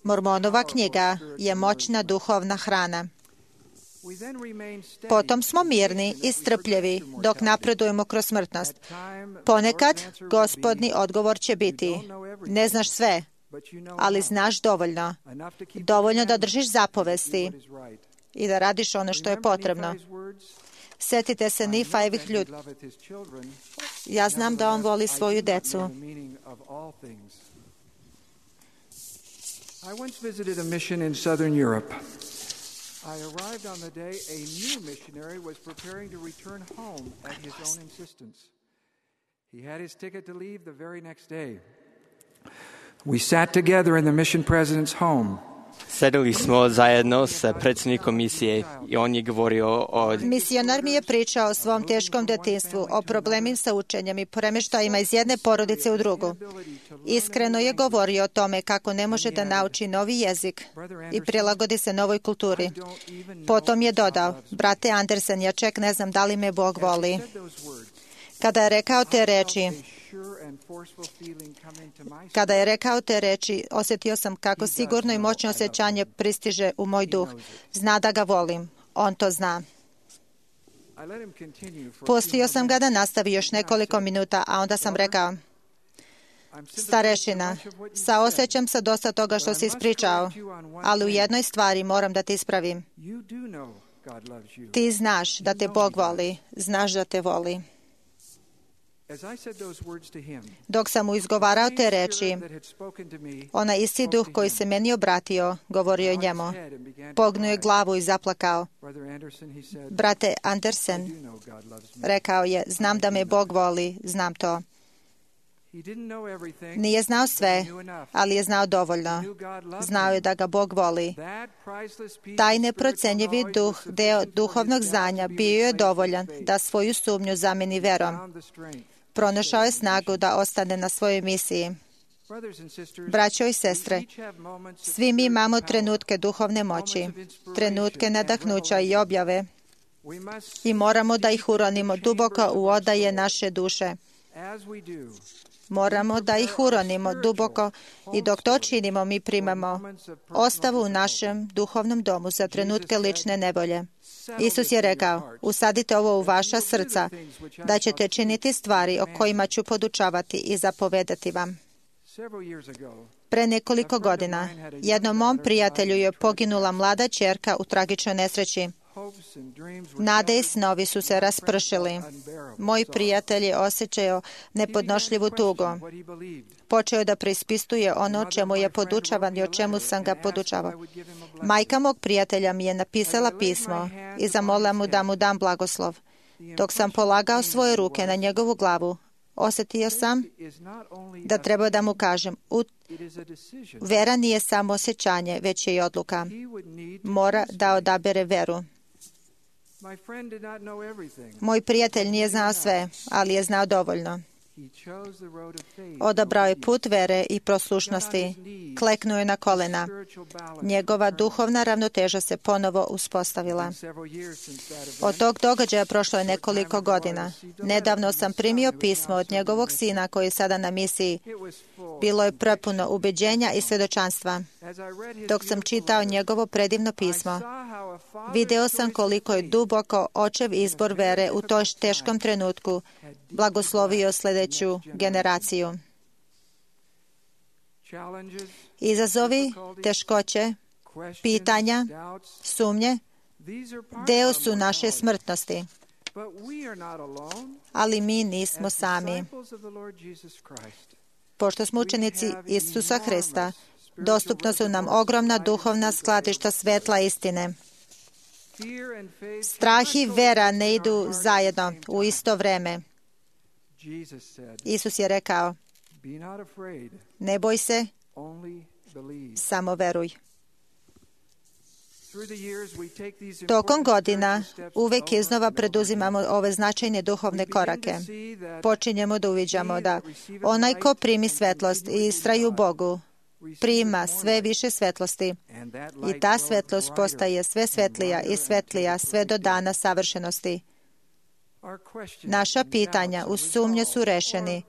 Mormonova knjiga je moćna duhovna hrana. Potom smo mirni i strpljivi dok napredujemo kroz smrtnost. Ponekad Gospodni odgovor će biti: ne znaš sve, ali znaš dovoljno. Dovoljno da držiš zapovesti i da radiš ono što je potrebno. Sjetite se Nifajevih ljudi. Ja znam da on voli svoju decu. I once visited a mission in southern Europe. I arrived on the day a new missionary was preparing to return home at his own insistence. He had his ticket to leave the very next day. We sat together in the mission president's home. Sedeli smo zajedno sa predsjednikom misije i on je govorio o... Misionar mi je pričao o svom teškom djetinjstvu, o problemima sa učenjem i premještajima iz jedne porodice u drugu. Iskreno je govorio o tome kako ne može da nauči novi jezik i prilagodi se novoj kulturi. Potom je dodao: brate Andersen, ja čak ne znam da li me Bog voli. Kada je rekao te reči, Kada je rekao te reči, osjetio sam kako sigurno i moćno osjećanje pristiže u moj duh. Zna da ga volim. On to zna. Pustio sam ga da nastavi još nekoliko minuta, a onda sam rekao: starešina, saosjećam se dosta toga što si ispričao, ali u jednoj stvari moram da te ispravim. Ti znaš da te Bog voli, znaš da te voli. Dok sam mu izgovarao te reči, onaj isti duh koji se meni obratio, govorio je njemu. Pognuo je glavu i zaplakao. Brate Andersen, rekao je, znam da me Bog voli, znam to. Nije znao sve, ali je znao dovoljno. Znao je da ga Bog voli. Taj neprocenjivi duh, deo duhovnog znanja, bio je dovoljan da svoju sumnju zameni verom. Pronašao je snagu da ostane na svojoj misiji. Braćo i sestre, svi mi imamo trenutke duhovne moći, trenutke nadahnuća i objave i moramo da ih uronimo duboko u odaje naše duše. Moramo da ih uronimo duboko i dok to činimo mi primamo ostavu u našem duhovnom domu za trenutke lične nevolje. Isus je rekao, usadite ovo u vaša srca, da ćete činiti stvari o kojima ću podučavati i zapovedati vam. Pre nekoliko godina jednom mom prijatelju je poginula mlada ćerka u tragičnoj nesreći. Nade i snovi su se raspršili. Moj prijatelj je osjećao nepodnošljivu tugu. Počeo je da preispituje ono o čemu je podučavan i o čemu sam ga podučavao. Majka mog prijatelja mi je napisala pismo i zamolila mu da mu dam blagoslov. Dok sam polagao svoje ruke na njegovu glavu, osjetio sam da treba da mu kažem, vera nije samo osjećanje, već je i odluka. Mora da odabere veru. Moj prijatelj nije znao sve, ali je znao dovoljno. Odabrao je put vere i poslušnosti, kleknuo je na kolena. Njegova duhovna ravnoteža se ponovo uspostavila. Od tog događaja prošlo je nekoliko godina. Nedavno sam primio pismo od njegovog sina koji je sada na misiji. Bilo je prepuno ubeđenja i svjedočanstva. Dok sam čitao njegovo predivno pismo, video sam koliko je duboko očev izbor vere u toj teškom trenutku blagoslovio sljedeću generaciju. Izazovi, teškoće, pitanja, sumnje, deo su naše smrtnosti. Ali mi nismo sami. Pošto smo učenici Isusa Hrista, dostupno su nam ogromna duhovna skladišta svetla istine. Strah i vera ne idu zajedno u isto vreme. Isus je rekao, ne boj se, samo veruj. Tokom godina uvek iznova preduzimamo ove značajne duhovne korake. Počinjemo da uviđamo da onaj ko primi svetlost i istraju Bogu, prima sve više svetlosti i ta svetlost postaje sve svetlija i svetlija sve do dana savršenosti. Naša pitanja u sumnje su rešeni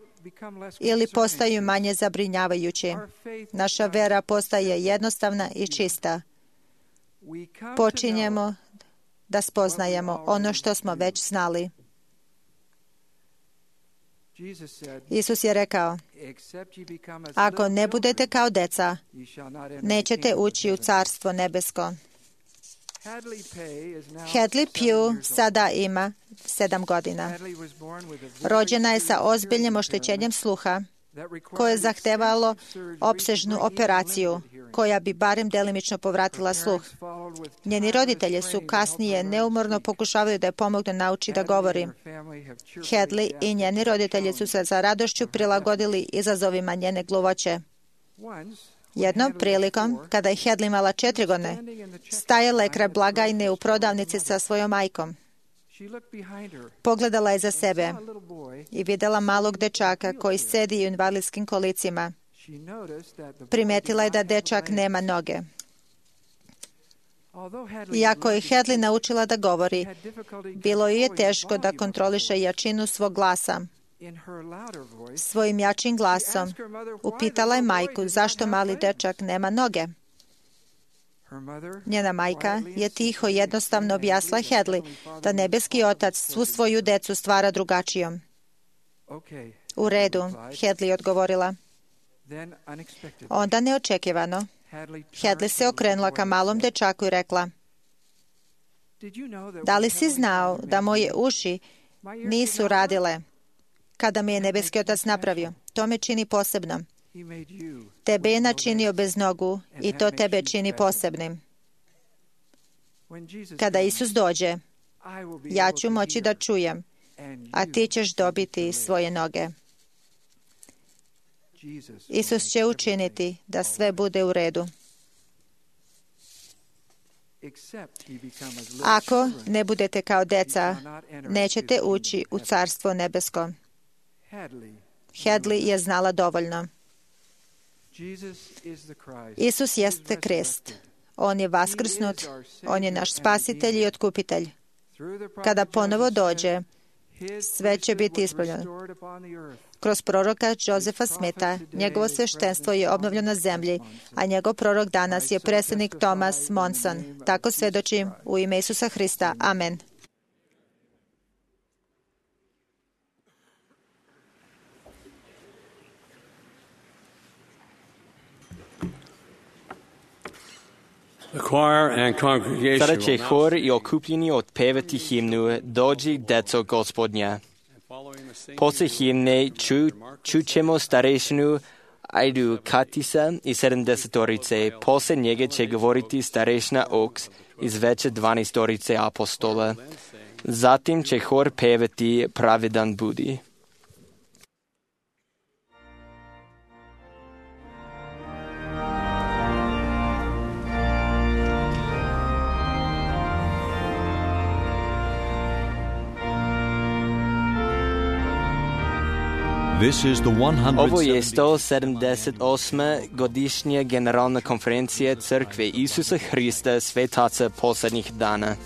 ili postaju manje zabrinjavajući. Naša vera postaje jednostavna i čista. Počinjemo da spoznajemo ono što smo već znali. Isus je rekao, ako ne budete kao deca, nećete ući u Carstvo nebesko. Hadley Pugh sada ima sedam godina. Rođena je sa ozbiljnim oštećenjem sluha, koje je zahtevalo opsežnu operaciju, koja bi barem delimično povratila sluh. Njeni roditelji su kasnije neumorno pokušavali da je pomognu nauči da govori. Hadley i njeni roditelji su se za radošću prilagodili izazovima njene gluvoće. Jednom prilikom, kada je Hadley imala četiri godine, stajala je kraj blagajne u prodavnici sa svojom majkom. Pogledala je za sebe i vidjela malog dečaka koji sedi u invalidskim kolicima. Primetila je da dečak nema noge. Iako je Hadley naučila da govori, bilo joj je teško da kontroliše jačinu svog glasa. Svojim jačim glasom upitala je majku zašto mali dečak nema noge. Njena majka je tiho jednostavno objasnila Hadley da nebeski otac svu svoju decu stvara drugačijom. U redu, Hadley odgovorila. Onda neočekivano, Hadley se okrenula ka malom dečaku i rekla, da li si znao da moje uši nisu radile kada me je nebeski otac napravio? To me čini posebnom. Tebe je načinio bez nogu i to tebe čini posebnim. Kada Isus dođe, ja ću moći da čujem, a ti ćeš dobiti svoje noge. Isus će učiniti da sve bude u redu. Ako ne budete kao deca, nećete ući u Carstvo nebesko. Hadley je znala dovoljno. Isus jeste Krist. On je vaskrsnut, on je naš spasitelj i otkupitelj. Kada ponovo dođe, sve će biti ispravljeno. Kroz proroka Josefa Smitha, njegovo sveštenstvo je obnovljeno na zemlji, a njegov prorok danas je predsjednik Thomas Monson. Tako svedočim u ime Isusa Hrista. Amen. Sada će hor i okupljeni otpevati himnu Dođi, deco Gospodnja. Posle himne ču, čućemo starešinu Ajdu Katisa i sedamdesetorice. Posle njega će govoriti starešina Oaks iz veće dvanaestorice apostola. Zatim će hor pevati Pravedan budi. This is the Ovo je sto sedamdeset osma godišnja generalna konferencija Crkve Isusa Hrista svetaca posljednjih dana.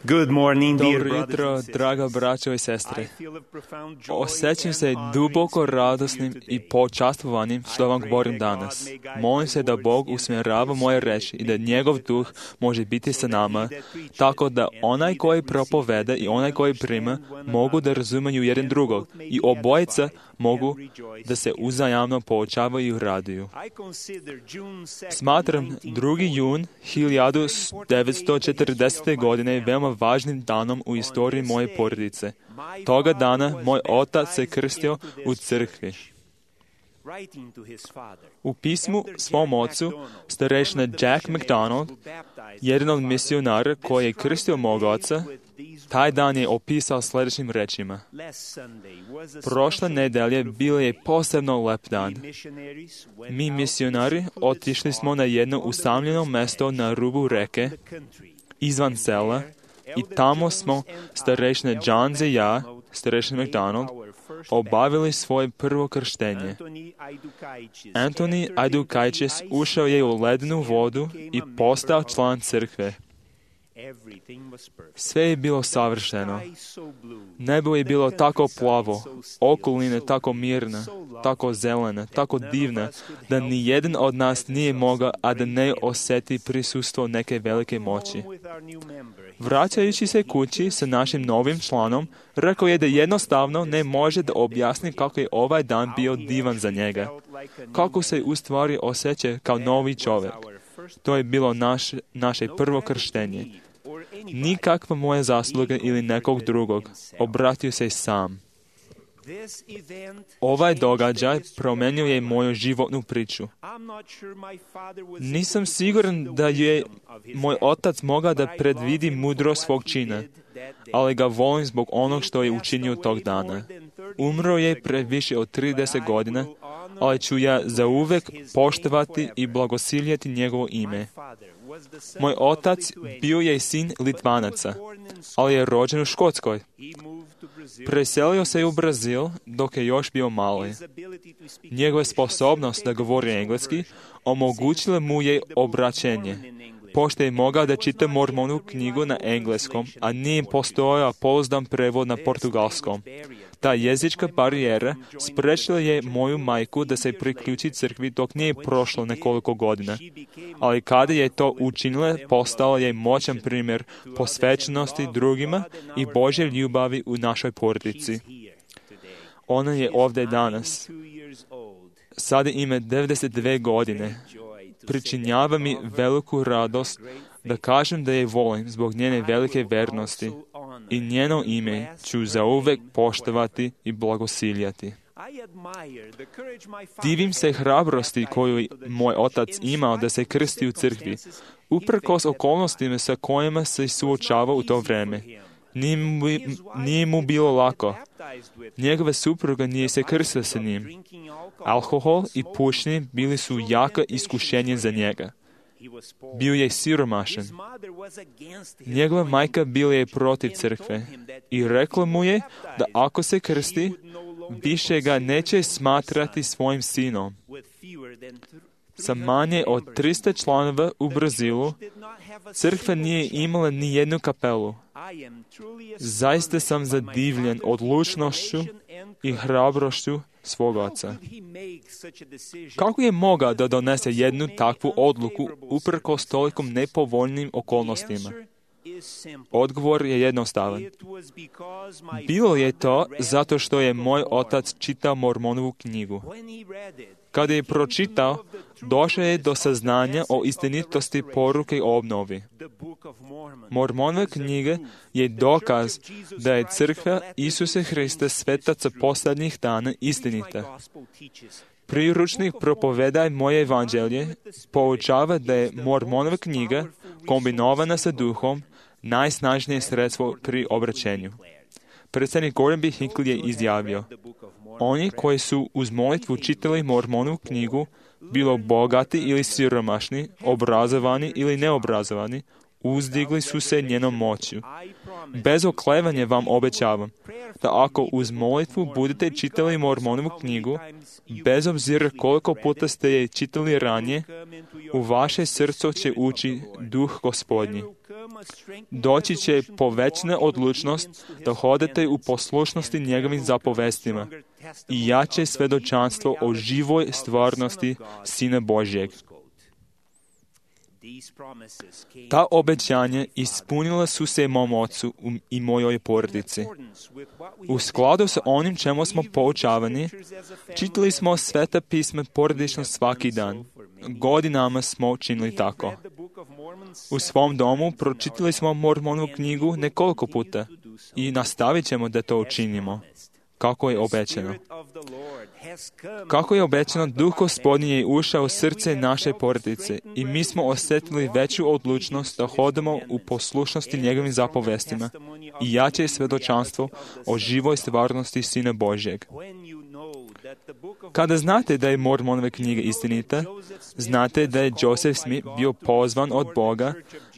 Good morning, dear Dobro brothers jutro, and sisters. draga braćo i sestre. I feel a profound joy Osjećam and se honor duboko in speaking to you radosnim i today. počastvovanim što vam govorim danas. Molim se da Bog usmjerava moje reči i da njegov duh može biti sa nama, tako da onaj koji propoveda i onaj koji prima mogu da razumiju jedan drugog i obojica mogu da se uzajamno poučavaju i raduju. Smatram drugi jun hiljadu devetsto četrdesete. godine veoma važnim danom u istoriji moje porodice. Toga dana moj otac se krstio u crkvi. U pismu svom ocu, starešina Jack McDonald, jedan od misionara koji je krstio mog oca, taj dan je opisao sljedećim rečima. Prošle nedelje bilo je posebno lep dan. Mi misionari otišli smo na jedno usamljeno mesto na rubu reke, izvan sela, i tamo smo, starešina Johns i ja, starešina McDonald, obavili svoje prvo krštenje. Antoni Ajdukaitis ušao je u ledenu vodu i postao član crkve. Sve je bilo savršeno. Nebo je bilo tako plavo, okolina tako mirna, tako zelena, tako divna, da ni jedan od nas nije mogao, a da ne osjeti prisustvo neke velike moći. Vraćajući se kući sa našim novim članom, rekao je da jednostavno ne može da objasni kako je ovaj dan bio divan za njega. Kako se u stvari osjeća kao novi čovjek. To je bilo naš, naše prvo krštenje. Nikakva moja zasluga ili nekog drugog. Obratio se sam. Ovaj događaj promenio je moju životnu priču. Nisam siguran da je moj otac mogao da predvidi mudrost svog čina, ali ga volim zbog onog što je učinio tog dana. Umro je pre više od trideset godina, ali ću ja zauvek poštovati i blagosiljati njegovo ime. Moj otac bio je sin Litvanaca, ali je rođen u Škotskoj. Preselio se u Brazil dok je još bio mali. Njegova sposobnost da govori engleski omogućila mu je obraćenje, pošto je mogao da čita Mormonovu knjigu na engleskom, a nije postojao pouzdan prevod na portugalskom. Ta jezička barijera sprečila je moju majku da se priključi crkvi dok nije prošlo nekoliko godina. Ali kada je to učinila, postala je moćan primjer posvećenosti drugima i Božje ljubavi u našoj porodici. Ona je ovdje danas. Sada ima devedeset dve godine. Pričinjava mi veliku radost da kažem da je volim zbog njene velike vernosti i njeno ime ću zauvek poštovati i blagosiljati. Divim se hrabrosti koju moj otac imao da se krsti u crkvi, uprkos okolnostima sa kojima se suočava u to vrijeme. Nije mu, nije mu bilo lako. Njegova supruga nije se krstila sa njim. Alkohol i pušenje bili su jaka iskušenje za njega. Bio je siromašan. Njegova majka bila je protiv crkve i rekla mu je da ako se krsti, više ga neće smatrati svojim sinom. Sa manje od tristo članova u Brazilu, crkva nije imala ni jednu kapelu. Zaista sam zadivljen odlučnošću i hrabrošću svog oca. Kako je mogao da donese jednu takvu odluku uprkos tolikom nepovoljnim okolnostima? Odgovor je jednostavan. Bilo je to zato što je moj otac čitao Mormonovu knjigu. Kada je pročitao, došao je do saznanja o istinitosti poruke o obnovi. Mormonova knjiga je dokaz da je crkva Isusa Hrista svetaca posljednjih dana istinita. Priručnik Propovedaj moje evanđelje poučava da je Mormonova knjiga, kombinovana sa duhom, najsnažnije sredstvo pri obraćenju. Predsjednik Gordon B. Hinckley je izjavio: oni koji su uz molitvu čitali Mormonovu knjigu, bilo bogati ili siromašni, obrazovani ili neobrazovani, uzdigli su se njenom moću. Bez oklevanja vam obećavam da ako uz molitvu budete čitali Mormonovu knjigu, bez obzira koliko puta ste je čitali ranije, u vaše srce će ući duh Gospodnji. Doći će povećana odlučnost da hodate u poslušnosti njegovim zapovestima i jače svedočanstvo o živoj stvarnosti Sina Božjeg. Ta obećanja ispunila su se mom ocu i mojoj porodici. U skladu sa onim čemu smo poučavani, čitali smo Sveta pisma porodično svaki dan. Godinama smo činili tako. U svom domu pročitali smo Mormonovu knjigu nekoliko puta i nastavit ćemo da to učinimo, kako je obećano. Kako je obećano, Duh Gospodnji je ušao u srce naše porodice i mi smo osjetili veću odlučnost da hodamo u poslušnosti njegovim zapovestima i jače svedočanstvo o živoj stvarnosti Sina Božjeg. Kada znate da je Mormonova knjiga istinita, znate da je Joseph Smith bio pozvan od Boga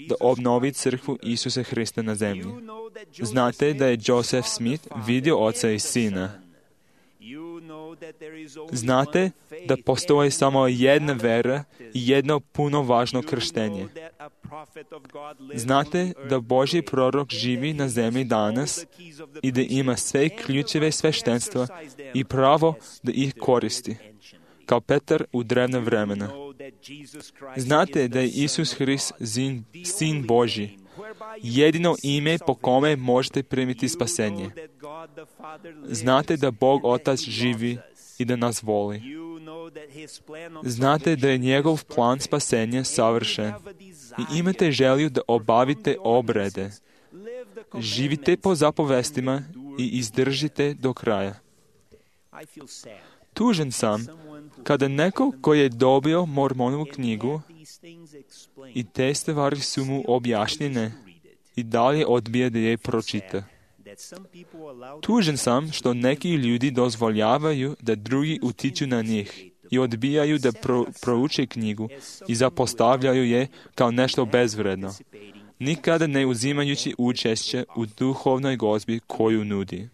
da obnovi crkvu Isusa Hrista na zemlji. Znate da je Joseph Smith vidio Oca i Sina. Znate da postoji samo jedna vera i jedno puno važno krštenje. Znate da Božji prorok živi na zemlji danas i da ima sve ključeve sveštenstva i pravo da ih koristi, kao Petar u drevna vremena. Znate da je Isus Hrist zin, Sin Božji, jedino ime po kome možete primiti spasenje. Znate da Bog Otac živi i da nas voli. Znate da je njegov plan spasenja savršen i imate želju da obavite obrede. Živite po zapovestima i izdržite do kraja. Tužan sam kada neko ko je dobio Mormonovu knjigu i te stvari su mu objašnjene i dalje odbija da je pročita. Tužan sam što neki ljudi dozvoljavaju da drugi utiču na njih i odbijaju da pro, prouče knjigu i zapostavljaju je kao nešto bezvredno, nikada ne uzimajući učešće u duhovnoj gozbi koju nudi.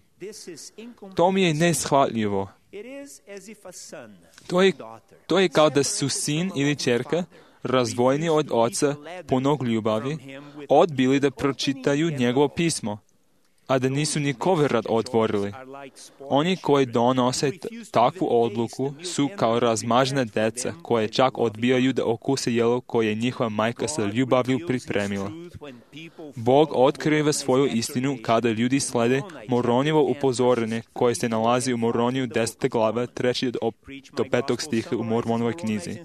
To mi je neshvatljivo. To je, to je kao da su sin ili ćerka, razdvojeni od oca punog ljubavi, odbili da pročitaju njegovo pismo, a da nisu ni koverat otvorili. Oni koji donose t- takvu odluku su kao razmažena deca koje čak odbijaju da okuse jelo koje je njihova majka sa ljubavlju pripremila. Bog otkriva svoju istinu kada ljudi slede Moronjevo upozorenje koje se nalazi u Moroniju deseta glava treći do, do petog stiha u Mormonovoj knjizi.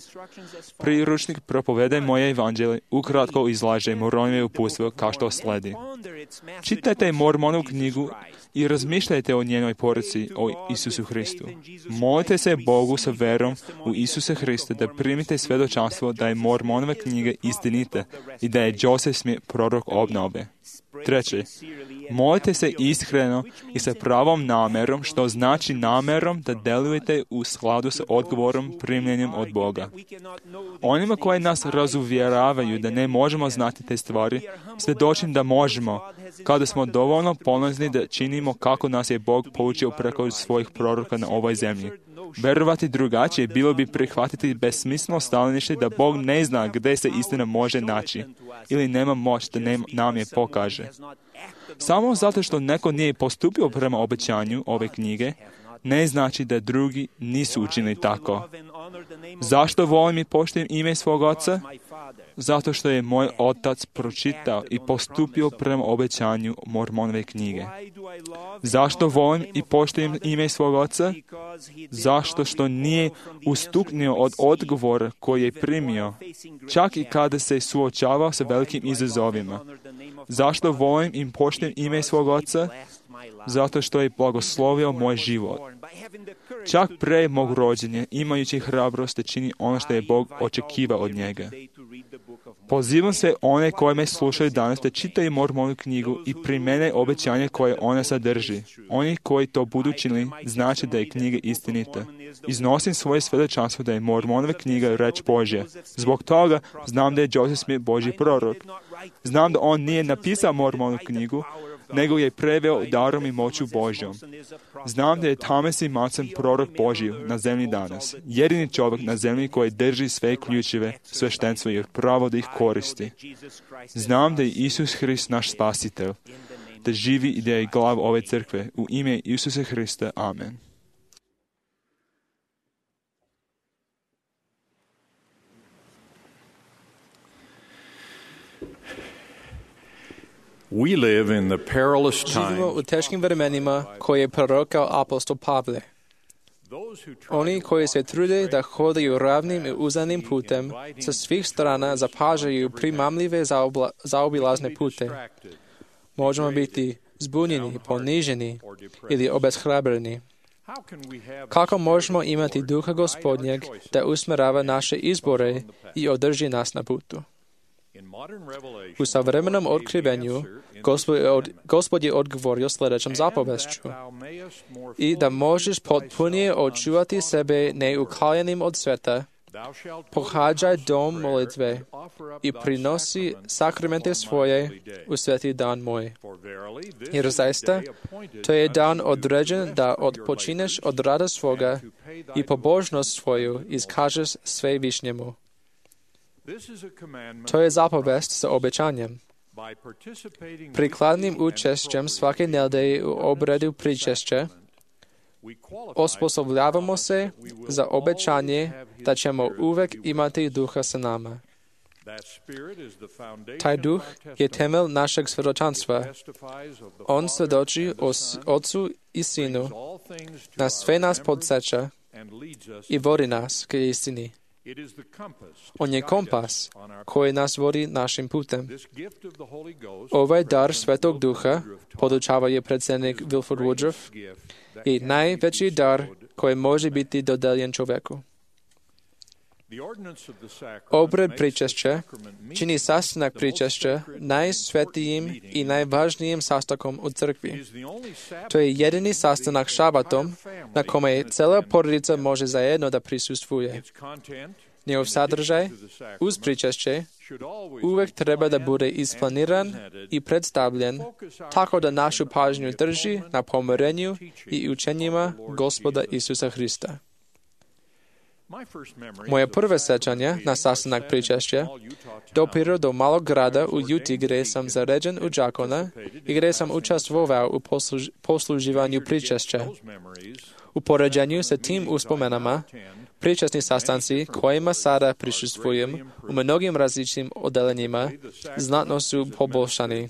Priručnik Propovedaj moje evanđelje ukratko izlaže Moronjeve uputstvo kao što sledi. Čitajte Mormonovu knjigu i razmišljajte o njenoj poruci o Isusu Hristu. Molite se Bogu sa verom u Isusa Hrista da primite svedočanstvo da je Mormonova knjiga istinita i da je Joseph Smith prorok obnove. Treće, molite se iskreno i sa pravom namerom, što znači namerom da delujete u skladu sa odgovorom primljenim od Boga. Onima koji nas razuvjeravaju da ne možemo znati te stvari, svjedočim da možemo, kada smo dovoljno ponosni da činimo kako nas je Bog poučio preko svojih proroka na ovoj zemlji. Verovati drugačije bilo bi prihvatiti besmisleno stajalište da Bog ne zna gdje se istina može naći ili nema moć da nam je pokaže. Samo zato što neko nije postupio prema obećanju ove knjige, ne znači da drugi nisu učinili tako. Zašto volim i poštujem ime svog oca? Zato što je moj otac pročitao i postupio prema obećanju Mormonove knjige. Zašto volim i poštujem ime svog oca? Zašto što nije ustuknio od odgovora koji je primio, čak i kada se suočavao sa velikim izazovima. Zašto volim i poštujem ime svog oca? Zato što je blagoslovio moj život. Čak pre mog rođenja, imajući hrabrost da čini ono što je Bog očekivao od njega. Pozivam se one koje me slušaju danas da čitaju Mormonu knjigu i primene obećanje koje ona sadrži. Oni koji to budu činili, znači da je knjiga istinita. Iznosim svoje svedočanstvo da je Mormonova knjiga reč Božja. Zbog toga znam da je Joseph Smith Božji prorok. Znam da on nije napisao Mormonu knjigu, nego je preveo darom i moću Božjom. Znam da je Thomas E. Monson prorok Božji na zemlji danas, jedini čovjek na zemlji koji drži sve ključeve sveštenstva i pravo da ih koristi. Znam da je Isus Hrist naš spasitelj, da živi i da je glav ove crkve. U ime Isusa Hrista. Amen. We live in the perilous Živimo time. u teškim vremenima koje je prorokao apostol Pavle. Oni koji se trude da hodaju ravnim i uzanim putem, sa svih strana zapažaju primamljive zaobla, zaobilazne pute. Možemo biti zbunjeni, poniženi ili obeshrabreni. Kako možemo imati duha Gospodnjeg da usmerava naše izbore i održi nas na putu? U savremenom otkrivenju Gospod je, od, Gospod je odgovorio sljedećom zapovešću: i da možeš potpunije očuvati sebe neukaljenim od sveta, pohađaj dom molitve i prinosi sakramente svoje u sveti dan moj. Jer zaista, to je dan određen da odpočineš od rada svoga i pobožnost svoju iskažeš Svevišnjemu. To je zapovest sa obećanjem. Prikladnim učešćem svake nedelje u obradu pričešća osposobljavamo se za obećanje da ćemo uvek imati duha sa nama. Taj duh je temelj našeg svjedočanstva. On svjedoči o Otcu i Sinu, na sve nas podsjeća i vodi nas k istini. On je kompas koji nas vodi našim putem. Ovaj dar Svetog Duha, podučava je predsjednik Wilford Woodruff, je najveći dar koji može biti dodeljen čovjeku. Obred pričešća čini sastanak pričešća najsvetijim i najvažnijim sastankom u crkvi. To je jedini sastanak šabatom na kome cijela porodica može zajedno da prisustvuje. Njegov sadržaj uz pričešće uvek treba da bude isplaniran i predstavljen tako da našu pažnju drži na pomirenju i učenjima Gospoda Isusa Hrista. Moje prve sećanje na sastanak pričešća dopiru do malog grada u Juti gdje sam zaređen u đakona i gdje sam učestvovao u posluž, posluživanju pričešća. U poređenju sa tim uspomenama, pričesni sastanci kojima sada prisustvujem u mnogim različitim odelenjima znatno su poboljšani.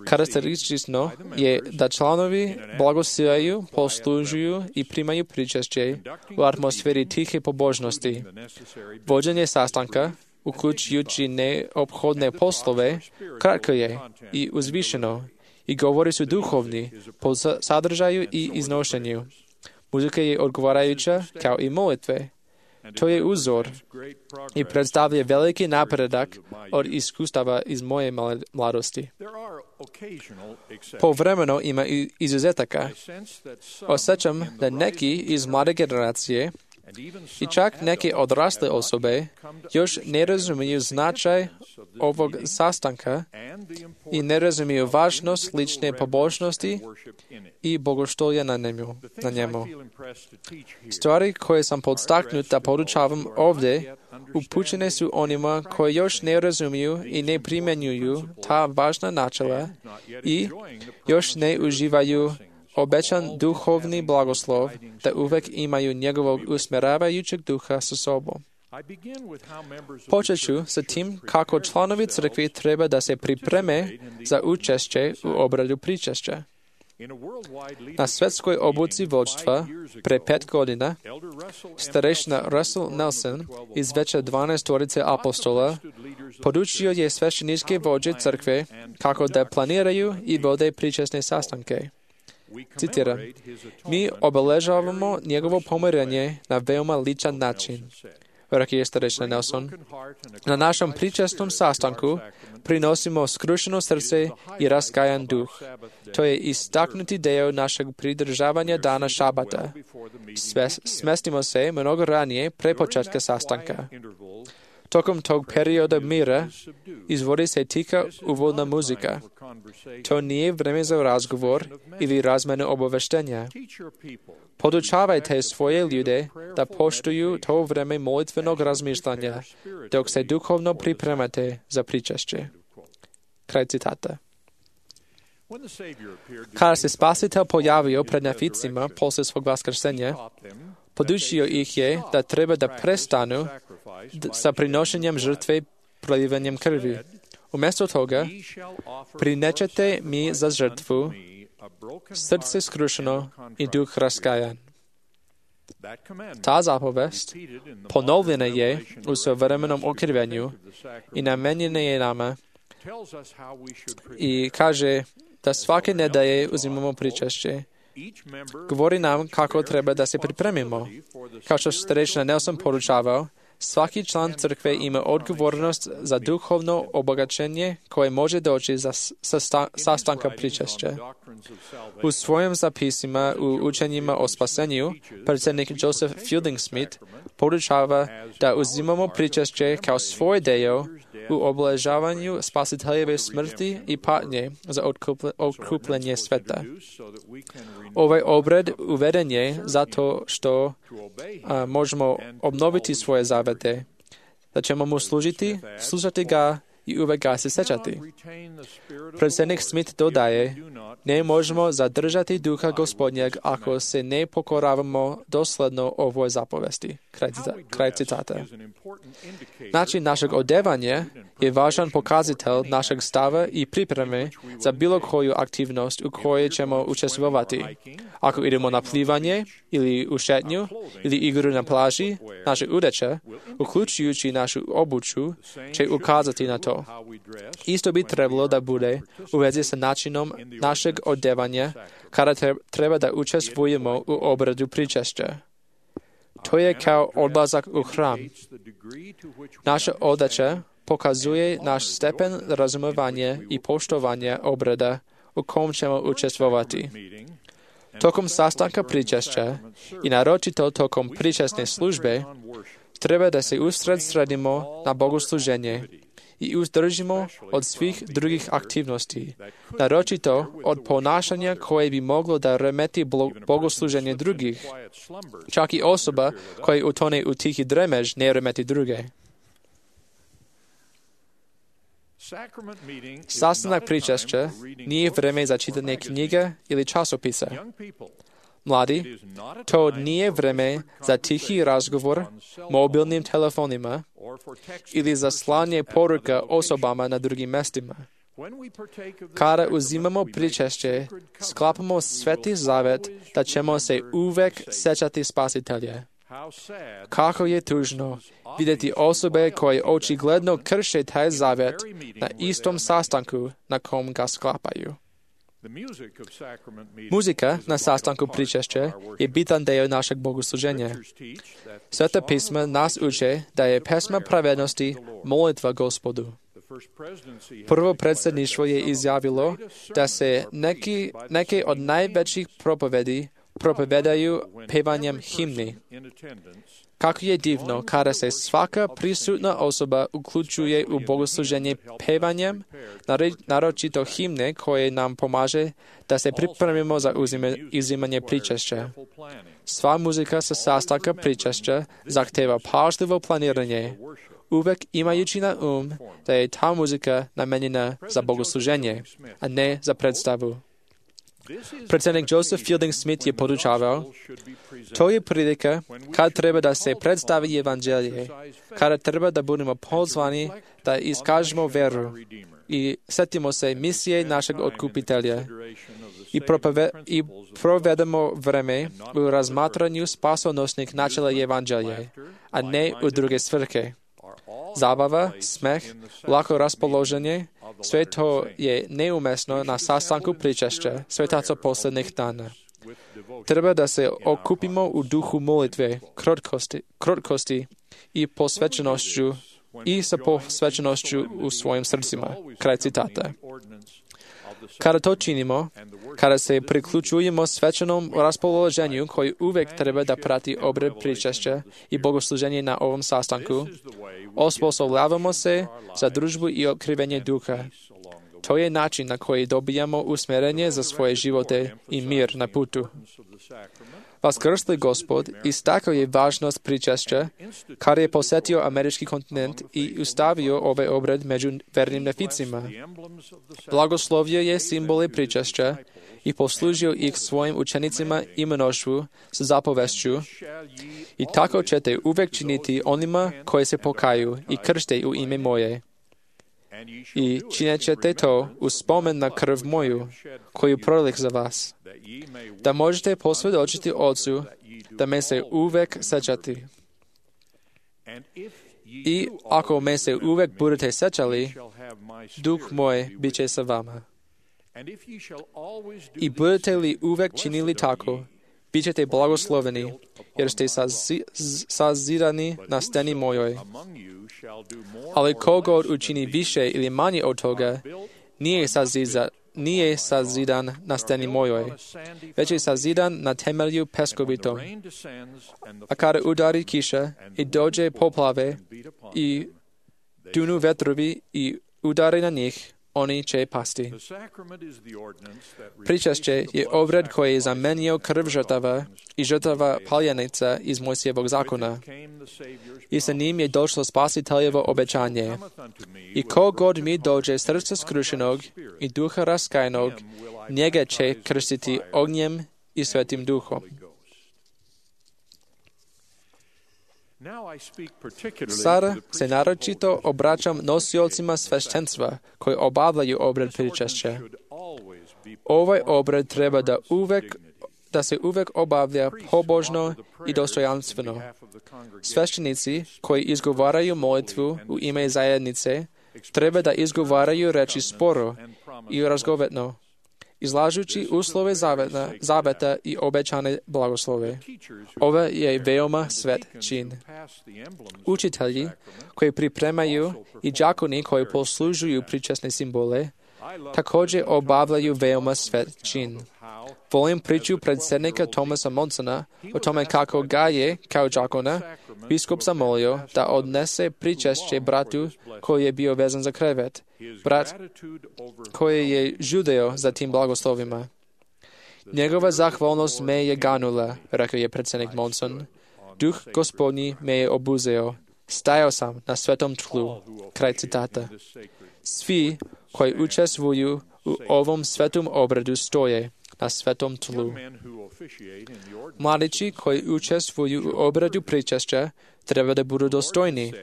Karakteristično je da članovi blagosijaju, poslužuju i primaju pričešće u atmosferi tihe pobožnosti. Vođenje sastanka, uključujući neophodne poslove, kratko je i uzvišeno i govori su duhovni po sadržaju i iznošenju. Muzika je odgovarajuća kao i molitve. To je uzor i predstavlja veliki napredak od iskustava iz moje mladosti. Povremeno ima izuzetaka. Osjećam da neki iz mlade generacije i čak neke odrasle osobe još ne razumiju značaj ovog sastanka i ne razumiju važnost lične pobožnosti i bogoštolja na njemu. Na njemu. Stvari koje sam podstaknut da podučavam ovdje upućene su onima koji još ne razumiju i ne primjenjuju ta važna načela i još ne uživaju obećan duhovni blagoslov da uvek imaju njegovog usmjeravajućeg duha sa sobom. Počet ću sa tim kako članovi crkve treba da se pripreme za učešće u obradu pričešća. Na svetskoj obuci vođstva pre pet godina starešina Russell Nelson iz veća dvanaestorice apostola podučio je svešteničke vođe crkve kako da planiraju i vode pričesne sastanke. Citiram, mi obeležavamo njegovo pomirenje na veoma ličan način. Rekao je starešina Nelson, na našem pričesnom sastanku prinosimo skrušeno srce i raskajan duh. To je istaknuti deo našeg pridržavanja dana šabata. Smestimo se mnogo ranije pre početka sastanka. Tokom tog perioda mira izvodi se tiha uvodna muzika. To nije vreme za razgovor ili razmenu obaveštenja. Podučavajte svoje ljude da poštuju to vreme molitvenog razmišljanja, dok se duhovno pripremate za pričešće. Kraj citata. Kada se Spasitelj pojavio pred neficima posle svog vaskrsenja, podučio ih je da treba da prestanu sa prinošenjem žrtve prolivanjem krvi. Umjesto toga, prinećete mi za žrtvu srce skrušeno i duh raskajan. Ta zapovest ponovljena je u savremenom okrivenju i namenjena je nama i kaže da svake nedelje uzimamo pričešće. Govori nam kako treba da se pripremimo. Kao što starešina Nelson poručavao, svaki član crkve ima odgovornost za duhovno obogaćenje koje može doći za sastanka pričešća. U svojim zapisima u učenjima o spasenju, predsjednik Joseph Fielding Smith poručava da uzimamo pričešće kao svoj deo u obeležavanju Spasiteljeve smrti i patnje za otkupljenje sveta. Ovaj obred uveden je zato što a, možemo obnoviti svoje zavete, da ćemo mu služiti, slušati ga i uvek ga se sećati. Predsjednik Smith dodaje, ne možemo zadržati duha Gospodnjeg ako se ne pokoravamo dosledno ovoj zapovesti. Kraj, kraj citata. Način našeg odevanja je važan pokazatelj našeg stava i pripreme za bilo koju aktivnost u kojoj ćemo učestvovati. Ako idemo na plivanje ili u šetnju ili igru na plaži, naše odeća, uključujući našu obuću, će ukazati na to. Isto bi trebalo da bude u vezi sa načinom našeg odevanja kada treba da učestvujemo u obradu pričešća. To je kao odlazak u hram. Naša odeća pokazuje naš stepen razumevanja i poštovanja obrada u kom ćemo učestvovati. Tokom sastanka pričešća i naročito tokom pričesne službe treba da se usredsredimo na bogosluženje i uzdržimo od svih drugih aktivnosti, naročito od ponašanja koje bi moglo da remeti bogosluženje drugih. Čak i osoba koja utone u tihi dremež ne remeti druge. Sastanak pričešća nije vreme za čitanje knjige ili časopisa. Mladi, to nije vreme za tihi razgovor mobilnim telefonima ili za slanje poruka osobama na drugim mestima. Kada uzimamo pričešće, sklapamo sveti zavet da ćemo se uvek sećati Spasitelja. Kako je tužno vidjeti osobe koje očigledno krše taj zavet na istom sastanku na kom ga sklapaju. Muzika na sastanku pričešća je bitan deo našeg bogosluženja. Sveta pisma nas uče da je pesma pravednosti molitva Gospodu. Prvo predsjedništvo je izjavilo da se neki, neke od najvećih propovedi propovedaju pevanjem himni. Kako je divno kada se svaka prisutna osoba uključuje u bogosluženje pevanjem, naročito himne koje nam pomaže da se pripremimo za uzimanje pričešća. Sva muzika sa sastanka pričešća zahteva pažljivo planiranje, uvek imajući na um da je ta muzika namenjena za bogosluženje, a ne za predstavu. Predsjednik Joseph Fielding Smith je podučavao, to je prilika kad treba da se predstavi evanđelje, kada treba da budemo pozvani da iskažemo veru i setimo se misije našeg otkupitelja i, propove, i provedemo vreme u razmatranju spasonosnih načela evanđelje, a ne u druge svrhe. Zabava, smeh, lako raspoloženje, sve to je neumesno na sastanku pričešća svetaca posljednjih dana. Treba da se okupimo u duhu molitve, krotkosti, krotkosti i posvećenošću i sa posvećenošću u svojim srcima. Kraj citata. Kada to činimo, kada se priključujemo svečanom raspoloženju koji uvek treba da prati obred pričešća i bogosluženje na ovom sastanku, osposobljavamo se za družbu i otkrivenje duha. to je način na koji dobijamo usmjerenje za svoje živote i mir na putu. Vaskrsli Gospod istakao je važnost pričešća, kad je posjetio američki kontinent i ustavio ovaj obred među vernim neficima. Blagoslovio je simbole pričešća i poslužio ih svojim učenicima i mnoštvu s zapovešću: i tako ćete uvijek činiti onima koji se pokaju i kršte u ime moje. I činit ćete to u spomen na krv moju, koju prolih za vas, da možete posvjedočiti Otcu da me se uvijek sećati. I ako me se uvijek budete sećali, duh moj bit će sa vama. I budete li uvijek činili tako, bit ćete blagosloveni, jer ste sazi, sazidani na steni mojoj. Ali kogod učini više ili manje od toga, nije sazidan, nije sazidan na steni mojoj, već je sazidan na temelju peskovitom. A kada udari kiša i dođe poplave i dunu vetrovi i udari na njih, oni će pasti. Pričešće je obred koji je zamenio krv žrtava i žrtava paljenica iz Mojsijevog zakona. I sa njim je došlo spasiteljevo obećanje. I kogod mi dođe srca skrušenog i duha raskajnog, njega će krstiti ognjem i svetim duhom. Sada se naročito obraćam nosiocima sveštenstva koji obavljaju obred pričešća. Ovaj obred treba da uvek da se uvek obavlja pobožno i dostojanstveno. Sveštenici koji izgovaraju molitvu u ime zajednice treba da izgovaraju reči sporo i razgovetno, izlažući uslove zaveta, zaveta i obećane blagoslove. Ovo je veoma svet čin. Učitelji koji pripremaju i đakoni koji poslužuju pričesne simbole također obavljaju veoma svet čin. Volim priču predsjednika Thomasa Monsona o tome kako ga je, kao đakona, biskup zamolio da odnese pričešće bratu koji je bio vezan za krevet, brat koji je žudeo za tim blagoslovima. Njegova zahvalnost me je ganula, rekao je predsjednik Monson. Duh Gospodnji me je obuzeo. Stajao sam na svetom tlu. Kraj citata. Svi koji učestvuju u ovom svetom obredu stoje na svetom tlu. Mladići koji učestvuju u obredu pričešća treba da budu dostojni.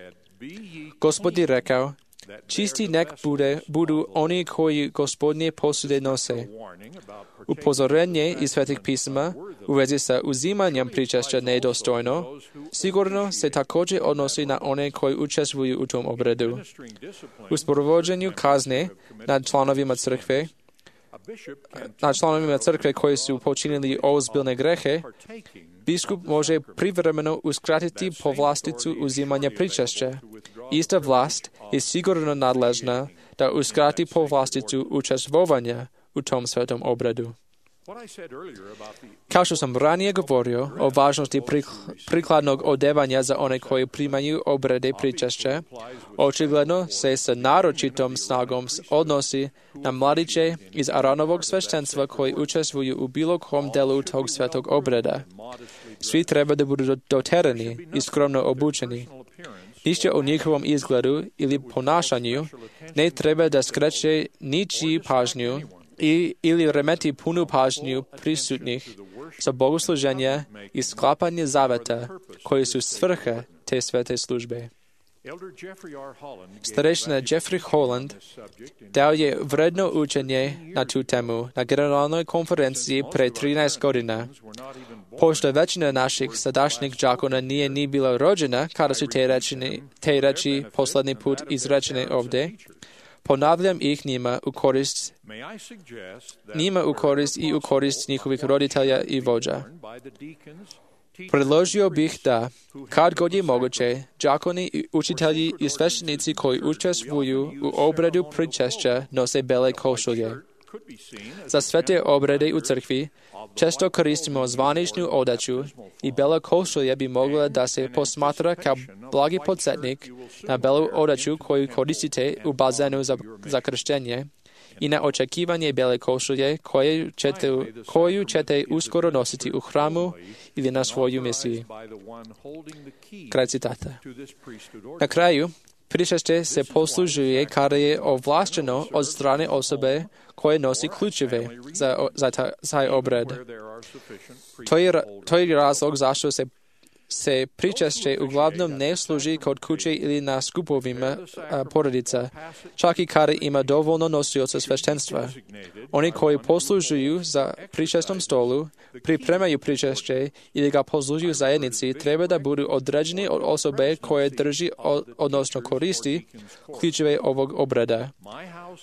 Gospod je rekao: čisti nek bude, budu oni koji Gospodnje posude nose. Upozorenje iz svetih pisma u vezi sa uzimanjem pričešća nedostojno sigurno se također odnosi na one koji učestvuju u tom obredu. U sprovođenju kazne nad članovima crkve, nad članovima crkve koji su počinili ozbiljne grehe, biskup može privremeno uskratiti povlasticu uzimanja pričešća. Ista vlast je sigurno nadležna da uskrati povlasticu učestvovanja u tom svetom obredu. Kao što sam ranije govorio o važnosti prikladnog odevanja za one koji primaju obrede pričešća, očigledno se sa naročitom snagom odnosi na mladiće iz Aronovog sveštenstva koji učestvuju u bilo kom delu tog svetog obreda. Svi treba da budu doterani i skromno obučeni. Ništa o njihovom izgledu ili ponašanju ne treba da skreće ničiju pažnju i, ili remeti punu pažnju prisutnih za bogosluženje i sklapanje zaveta koji su svrha te svete službe. Starešina Jeffrey Holland dao je vredno učenje na tu temu na generalnoj konferenciji pre trinaest godina. Pošto većina naših sadašnjih đakona nije ni bila rođena kada su te reči, te reči poslednji put izrečene ovdje, ponavljam ih njima u korist, njima u korist i u korist njihovih roditelja i vođa. Predložio bih da, kad god je moguće, đakoni i učitelji i sveštenici koji učestvuju u obredu pričešća nose bele košulje. Za sve te obrede u crkvi često koristimo zvaničnu odeću i bela košulja bi mogla da se posmatra kao blagi podsjetnik na belu odeću koju koristite u bazenu za, za krštenje i na očekivanje bijele košulje koju ćete, koju ćete uskoro nositi u hramu ili na svoju misiji. Kraj citata. Na kraju, pričešće se poslužuje kada je ovlašteno od strane osobe koje nosi ključeve za, za taj obred. To je, to je razlog zašto se se pričešće uglavnom ne služi kod kuće ili na skupovima a, porodica, čak i kada ima dovoljno nosioca sveštenstva. Oni koji poslužuju za pričestnom stolu, pripremaju pričešće ili ga poslužuju zajednici, treba da budu određeni od osobe koje drži, odnosno koristi ključeve ovog obreda.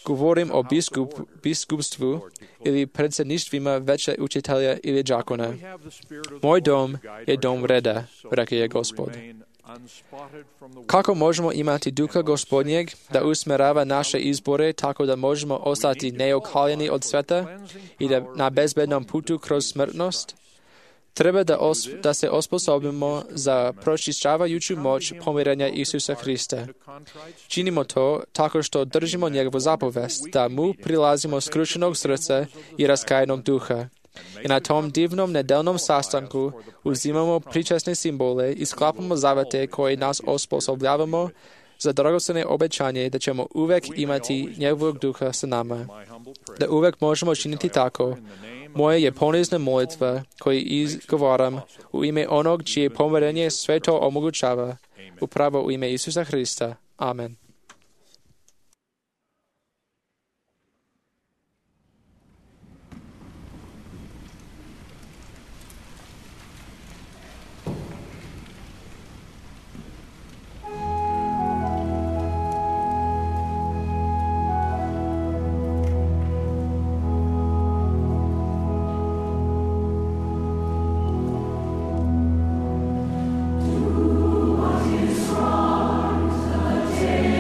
Govorim o biskup, biskupstvu ili predsjedništvima veće učitelja ili đakona. Moj dom je dom reda, rekao je Gospod. Kako možemo imati duha Gospodnjeg da usmerava naše izbore tako da možemo ostati neokaljeni od sveta i da na bezbednom putu kroz smrtnost? Treba da, os, da se osposobimo za pročišćavajuću moć pomirenja Isusa Hrista. Činimo to tako što držimo njegovu zapovest, da mu prilazimo skrušenog srca i raskajenog duha. I na tom divnom nedeljnom sastanku uzimamo pričesne simbole i sklapamo zavete koje nas osposobljavamo za dragocjene obećanje da ćemo uvek imati njegovog duha sa nama. Da uvek možemo činiti tako. Moje je ponizna molitva koju izgovaram u ime onog čije pomirenje sve to omogućava, upravo u ime Isusa Hrista. Amen. Day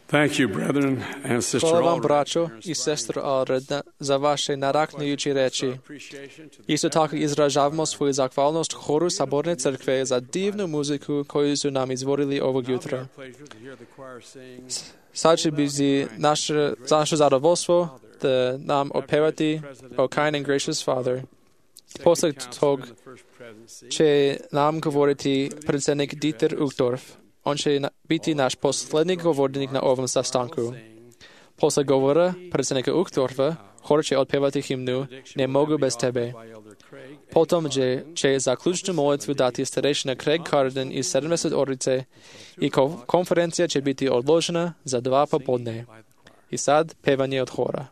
Thank you, brethren and sister Hvala vam, Ulrich, braćo i sestro Alred, za vaše naraknujuće reči. Isto tako izražavamo svoju zahvalnost horu Saborne crkve za divnu muziku koju su nam izvorili ovog jutra. Sad će biti naše, za naše zadovoljstvo da nam opevati O kind and gracious Father. Posle tog će nam govoriti predsjednik Dieter Uchtdorf. On će biti naš posljednji govornik na ovom sastanku. Posle govora predsjednika Uchtdorfa, hor će otpevati himnu Ne mogu bez tebe. Potom će, će zaključnu molitvu dati starešina Craig Carden iz sedamdeset orice i konferencija će biti odložena za dva popodne. I sad pevanje od hora.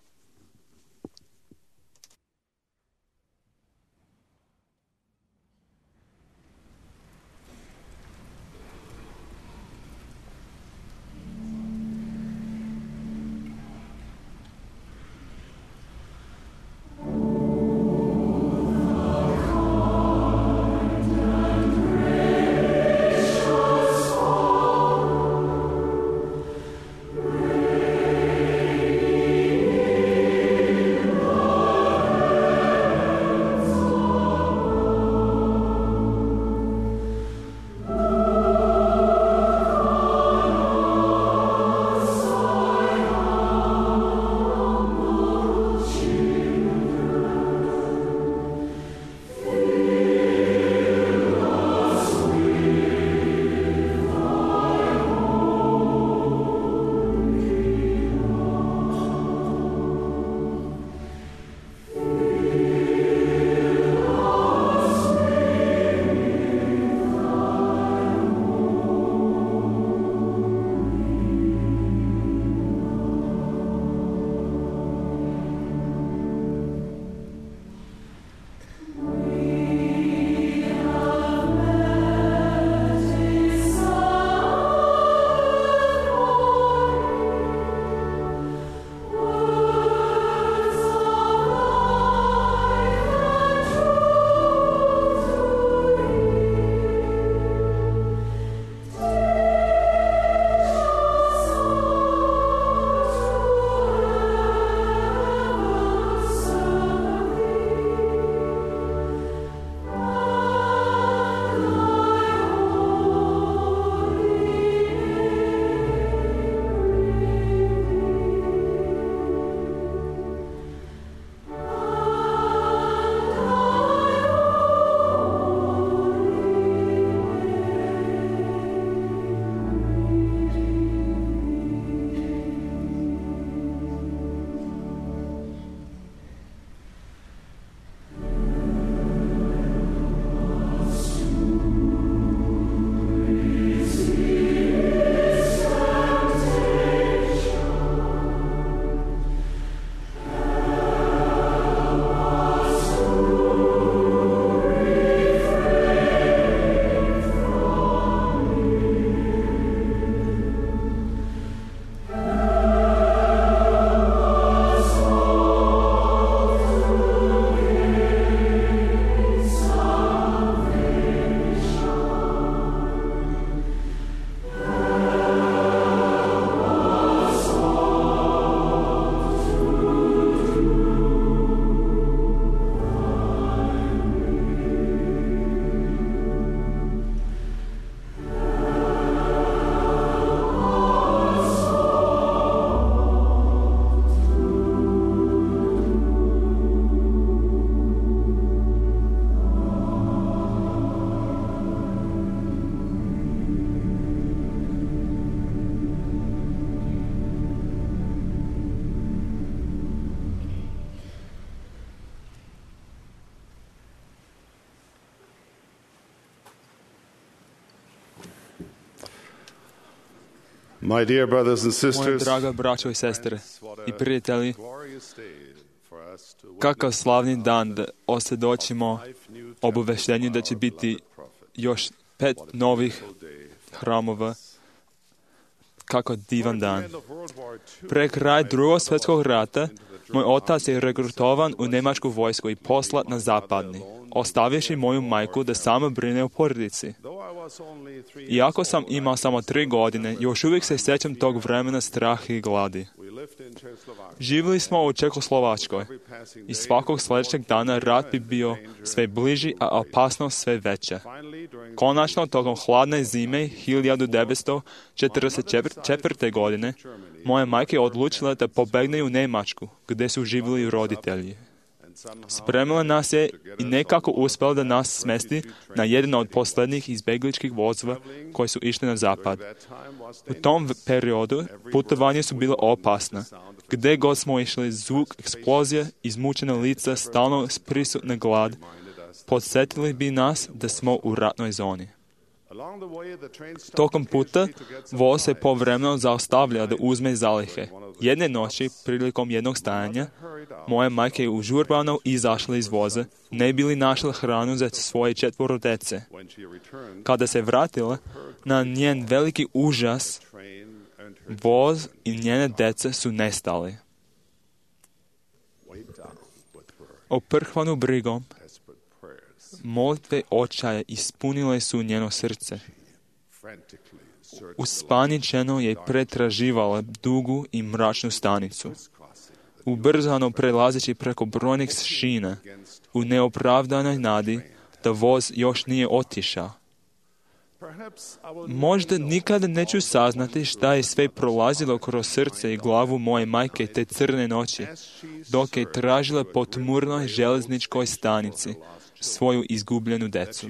My dear brothers and Moje sisters, draga braćo i sestre i prijatelji, kakav slavni dan da osvjedočimo obaveštenju da će biti još pet novih hramova. Kako divan dan. Pre kraj drugog svjetskog rata, moj otac je regrutovan u njemačku vojsku i poslat na zapadni, ostavivši moju majku da sama brine o porodici. Iako sam imao samo tri godine, još uvijek se sjećam tog vremena straha i gladi. Živjeli smo u Čekoslovačkoj i svakog sljedećeg dana rat bi bio sve bliži, a opasnost sve veća. Konačno, tokom hladne zime hiljadu devetsto četrdeset četvrte. godine, moja majka je odlučila da pobegne u Njemačku, gdje su živjeli roditelji. Spremila nas je i nekako uspjela da nas smesti na jedan od posljednjih izbjegličkih vozova koji su išli na zapad. U tom periodu putovanje su bilo opasna. Gdje god smo išli, zvuk eksplozija, izmučena lica, stalno prisutna glad, podsjetili bi nas da smo u ratnoj zoni. Tokom puta voz se povremeno zaustavlja da uzme zalihe. Jedne noći, prilikom jednog stajanja, moja majka je užurbano izašla iz voza, ne bi li našla hranu za svoje četvoro dece. Kada se vratila, na njen veliki užas, voz i njene dece su nestali. Oprhvanu brigom, molitve očaja ispunile su njeno srce. Uspaničeno je pretraživala dugu i mračnu stanicu. Ubrzano prelazeći preko brojnih šina, u neopravdanoj nadi da voz još nije otišao. Možda nikada neću saznati šta je sve prolazilo kroz srce i glavu moje majke te crne noći, dok je tražila po tmurnoj željezničkoj stanici svoju izgubljenu decu.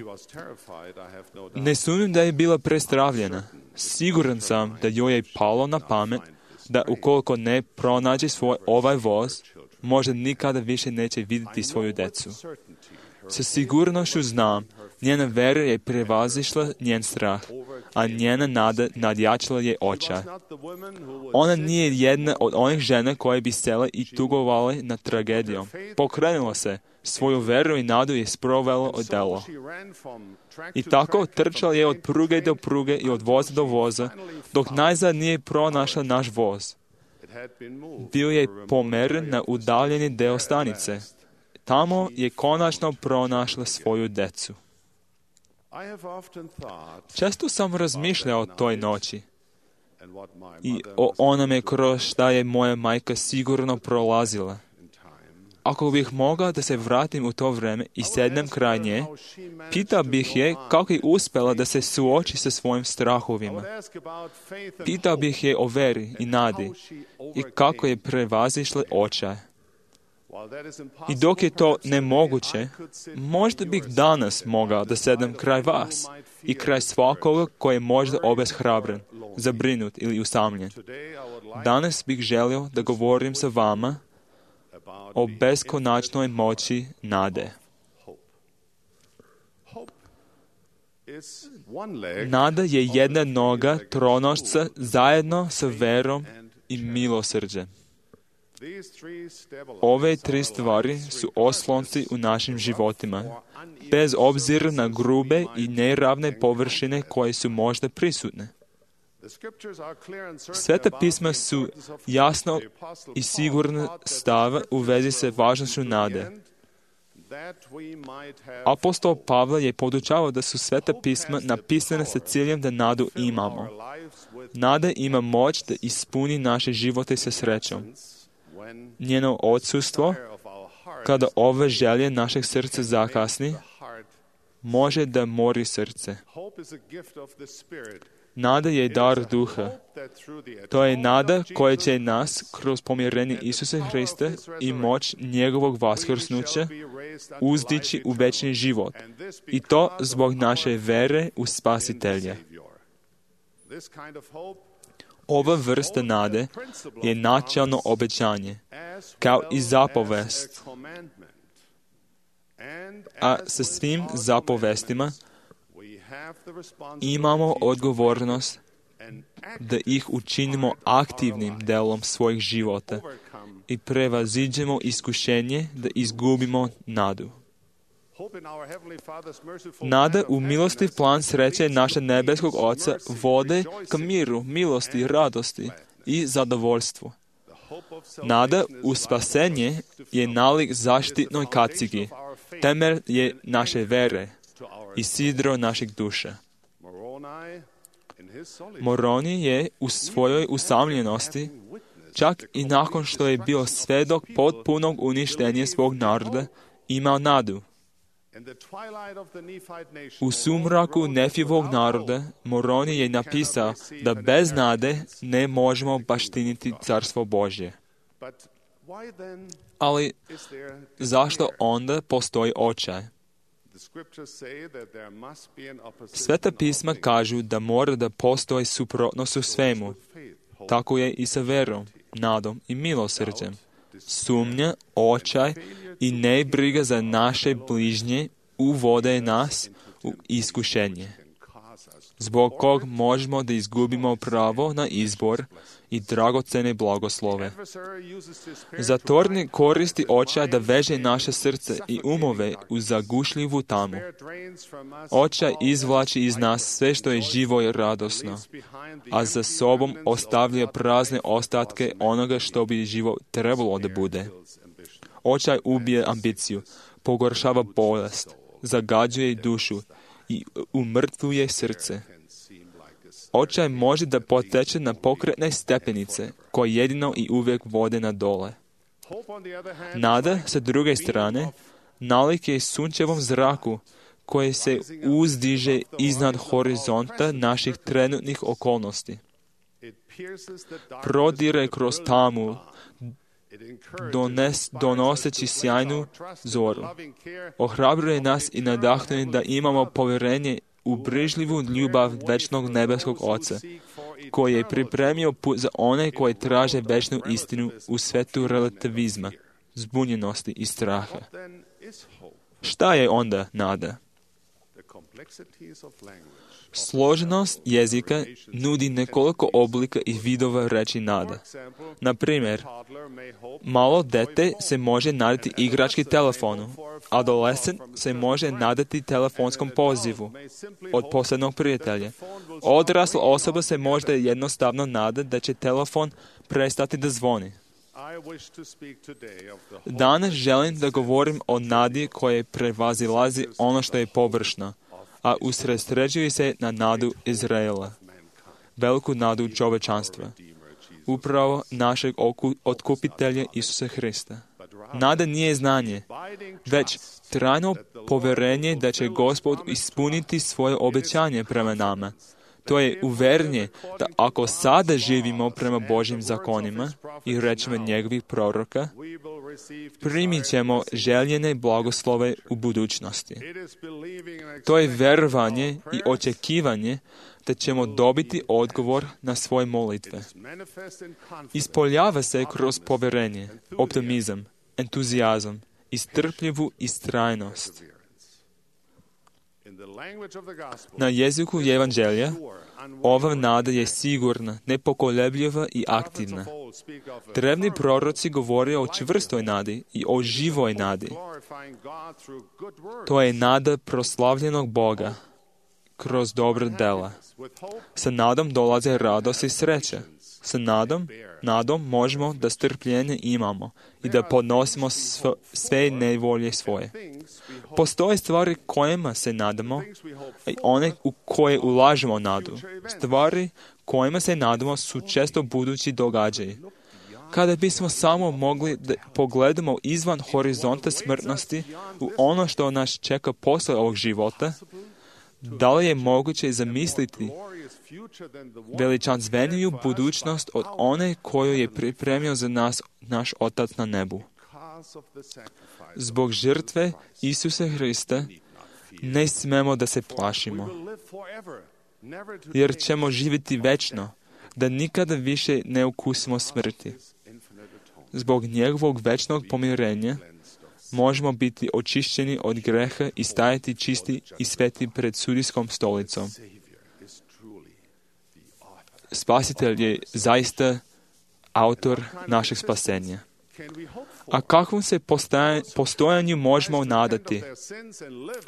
Ne sumnjam da je bila prestravljena. Siguran sam da joj je palo na pamet da ukoliko ne pronađe svoj ovaj voz, možda nikada više neće vidjeti svoju decu. Sa sigurnošću znam, njena vera je prevazišla njen strah, a njena nada nadjačala je očaj. Ona nije jedna od onih žena koje bi sele i tugovale nad tragedijom. Pokrenula se, svoju veru i nadu je sprovela od delo. I tako trčala je od pruge do pruge i od voza do voza, dok najzad nije pronašla naš voz. Bio je pomeren na udaljeni deo stanice. Tamo je konačno pronašla svoju decu. Često sam razmišljao o toj noći i o onome kroz šta je moja majka sigurno prolazila. Ako bih mogao da se vratim u to vreme i sednem kraj nje, pitao bih je kako je uspjela da se suoči sa svojim strahovima. Pitao bih je o veri i nadi i kako je prevazišla očaj. I dok je to nemoguće, možda bih danas mogao da sedem kraj vas i kraj svakoga koji je možda obeshrabren, zabrinut ili usamljen. Danas bih želio da govorim sa vama o beskonačnoj moći nade. Nada je jedna noga tronošca zajedno sa verom i milosrđem. Ove tri stvari su oslonci u našim životima, bez obzira na grube i neravne površine koje su možda prisutne. Sveta pisma su jasno i sigurno stava u vezi sa važnošću nade. Apostol Pavle je podučavao da su sveta pisma napisane sa ciljem da nadu imamo. Nada ima moć da ispuni naše živote sa srećom. Njeno odsustvo, kada ove želje našeg srca zakasni, može da mori srce. Nada je dar duha. To je nada koja će nas, kroz pomirenje Isusa Hrista i moć njegovog vaskrsnuća, uzdići u večni život. I to zbog naše vere u Spasitelja. Ova vrsta nade je načelno obećanje, kao i zapovest. A sa svim zapovestima imamo odgovornost da ih učinimo aktivnim delom svojih života i prevaziđemo iskušenje da izgubimo nadu. Nada u milostiv plan sreće našeg nebeskog Oca vode ka miru, milosti, radosti i zadovoljstvu. Nada u spasenje je nalik zaštitnoj kacigi, temelj je naše vere i sidro našeg duša. Moroni je u svojoj usamljenosti, čak i nakon što je bio svedok potpunog uništenja svog naroda, imao nadu. U sumraku Nefivog naroda Moroni je napisao da bez nade ne možemo baštiniti Carstvo Božje. Ali zašto onda postoji očaj? Sveta pisma kažu da mora da postoji suprotnost u svemu. Tako je i sa verom, nadom i milosrđem. Sumnja, očaj i nebriga za naše bližnje uvode nas u iskušenje, zbog kog možemo da izgubimo pravo na izbor i dragocene blagoslove. Zatvornik koristi očaj da veže naše srce i umove u zagušljivu tamu. Očaj izvlači iz nas sve što je živo i radosno, a za sobom ostavlja prazne ostatke onoga što bi živo trebalo da bude. Očaj ubije ambiciju, pogoršava bolest, zagađuje dušu i umrtvuje srce. Očaj može da poteče na pokretne stepenice, koje jedino i uvijek vode na dole. Nada, sa druge strane, nalik je sunčevom zraku, koje se uzdiže iznad horizonta naših trenutnih okolnosti. Prodire kroz tamu, dones, donoseći sjajnu zoru. Ohrabruje nas i nadahnuje da imamo povjerenje u brižljivu ljubav večnog nebeskog Oca, koji je pripremio put za one koji traže večnu istinu u svetu relativizma, zbunjenosti i straha. Šta je onda nada? Složenost jezika nudi nekoliko oblika i vidova reči nada. Na primjer, malo dete se može nadati igrački telefonu, adolescent se može nadati telefonskom pozivu od posebnog prijatelja. Odrasla osoba se možda jednostavno nada da će telefon prestati da zvoni. Danas želim da govorim o nadi koje prevazilazi ono što je površno, a usredsređuje se na nadu Izraela, veliku nadu čovečanstva, upravo našeg otkupitelja Isusa Hrista. Nada nije znanje, već trajno povjerenje da će Gospod ispuniti svoje obećanje prema nama. To je uvjerenje da ako sada živimo prema Božjim zakonima i rečima njegovih proroka, primit ćemo željene blagoslove u budućnosti. To je vjerovanje i očekivanje da ćemo dobiti odgovor na svoje molitve. Ispoljava se kroz povjerenje, optimizam, entuzijazam i strpljivu istrajnost. Na jeziku evanđelja, ova nada je sigurna, nepokolebljiva i aktivna. Drevni proroci govore o čvrstoj nadi i o živoj nadi. To je nada proslavljenog Boga kroz dobra dela. Sa nadom dolaze radost i sreća. Sa nadom, nadom možemo da strpljenje imamo i da podnosimo sv- sve nevolje svoje. Postoje stvari kojima se nadamo i one u koje ulažemo nadu. Stvari kojima se nadamo su često budući događaji. Kada bismo samo mogli da pogledamo izvan horizonta smrtnosti u ono što nas čeka posle ovog života, da li je moguće zamisliti veličanstveniju budućnost od one koju je pripremio za nas naš Otac na nebu? Zbog žrtve Isusa Hrista ne smemo da se plašimo, jer ćemo živjeti večno, da nikada više ne ukusimo smrti. Zbog njegovog večnog pomirenja možemo biti očišćeni od greha i stajati čisti i sveti pred sudijskom stolicom. Spasitelj je zaista autor našeg spasenja. A kakvom se postojanju možemo nadati?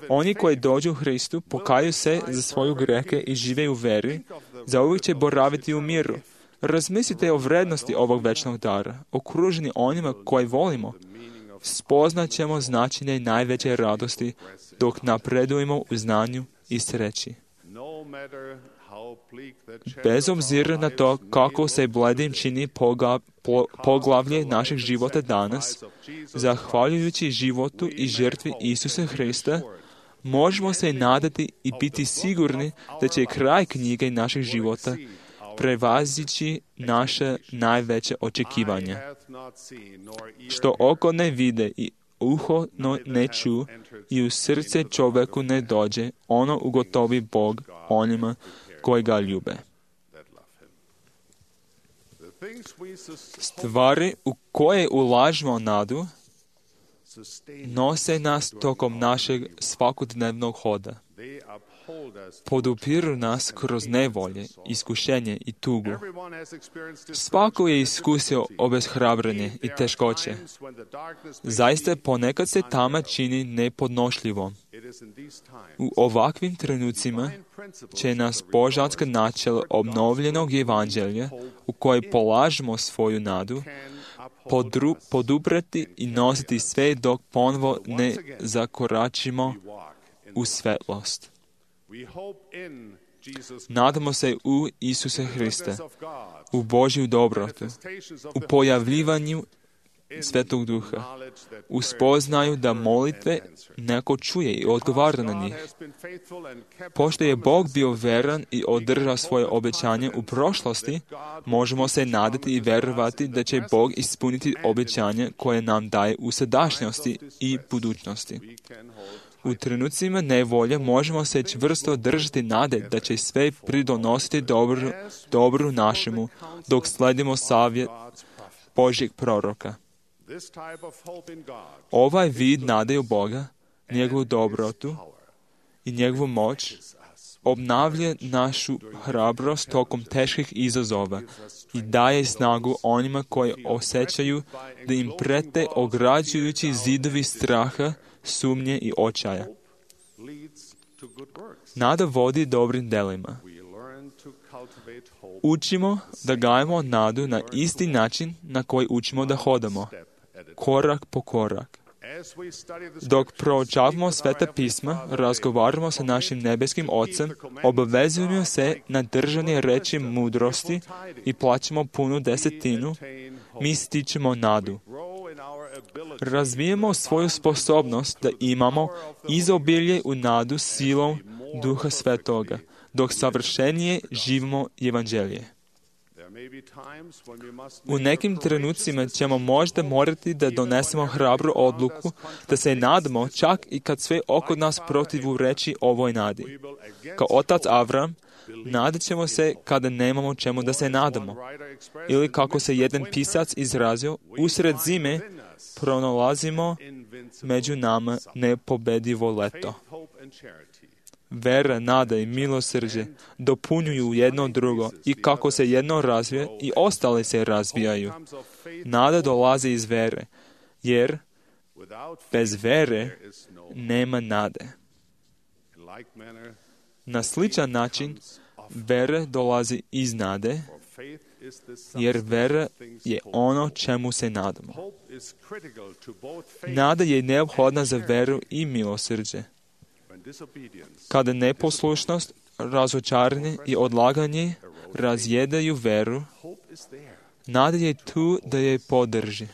Oni koji dođu u Hristu, pokaju se za svoju grehe i žive u veri, zauvijek će boraviti u miru. Razmislite o vrednosti ovog večnog dara, okruženi onima koji volimo. Spoznat ćemo značenje najveće radosti dok napredujemo u znanju i sreći. Bez obzira na to kako se bledim čini poga, po, poglavlje našeg života danas, zahvaljujući životu i žrtvi Isusa Hrista, možemo se nadati i biti sigurni da će kraj knjige našeg života prevazići naše najveće očekivanja. Što oko ne vide i uho no ne ču i u srce čovjeku ne dođe, ono ugotovi Bog onima koji ga ljube. Stvari u koje ulažemo nadu nose nas tokom našeg svakodnevnog hoda. Podupiru nas kroz nevolje, iskušenje i tugu. Svako je iskusio obeshrabrenje i teškoće. Zaista ponekad se tama čini nepodnošljivom. U ovakvim trenucima će nas božanska načela obnovljenog evanđelja, u kojoj polažemo svoju nadu, podru, poduprati i nositi sve dok ponovo ne zakoračimo u svetlost. Nadamo se u Isusa Hrista, u Božju dobrotu, u pojavljivanju Svetog Duha, u spoznaju da molitve neko čuje i odgovara na njih. Pošto je Bog bio veran i održao svoje obećanje u prošlosti, možemo se nadati i verovati da će Bog ispuniti obećanje koje nam daje u sadašnjosti i budućnosti. U trenucima nevolje možemo se čvrsto držati nade da će sve pridonositi dobru, dobru našemu, dok sledimo savjet Božjeg proroka. Ovaj vid nade u Boga, njegovu dobrotu i njegovu moć obnavlja našu hrabrost tokom teških izazova i daje snagu onima koji osjećaju da im prete ograđujući zidovi straha, sumnje i očaja. Nada vodi dobrim delima. Učimo da gajemo nadu na isti način na koji učimo da hodamo, korak po korak. Dok proučavamo Sveta pisma, razgovaramo sa našim nebeskim Ocem, obavezujemo se na držanje reči mudrosti i plaćamo punu desetinu, mi stičemo nadu. Razvijemo svoju sposobnost da imamo izobilje u nadu silom Duha Svetoga, dok savršenije živimo evanđelje. U nekim trenucima ćemo možda morati da donesemo hrabru odluku, da se nadamo čak i kad sve oko nas protivreči ovoj nadi. Kao otac Avram, nadat ćemo se kada nemamo čemu da se nadamo. Ili kako se jedan pisac izrazio, usred zime pronalazimo među nama nepobedivo leto. Vera, nada i milosrđe dopunjuju jedno drugo i kako se jedno razvija i ostale se razvijaju. Nada dolazi iz vere, jer bez vere nema nade. Na sličan način, vera dolazi iz nade, jer vera je ono čemu se nadamo. Nada je neophodna za veru i milosrđe. Kada neposlušnost, razočaranje i odlaganje razjedaju veru, nada je tu da je podrži.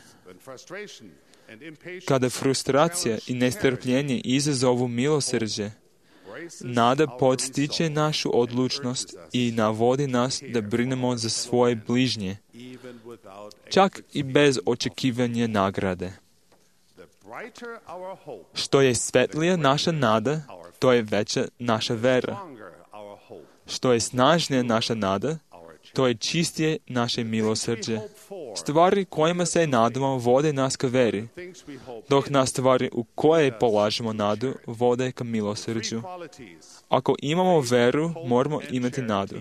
Kada frustracija i nestrpljenje izazovu milosrđe, nada podstiče našu odlučnost i navodi nas da brinemo za svoje bližnje, čak i bez očekivanja nagrade. Što je svetlija naša nada, to je veća naša vera. Što je snažnija naša nada, to je čistije naše milosrđe. Stvari kojima se nadamo vode nas ka veri, dok nas stvari u koje polažemo nadu vode ka milosrđu. Ako imamo veru, moramo imati nadu.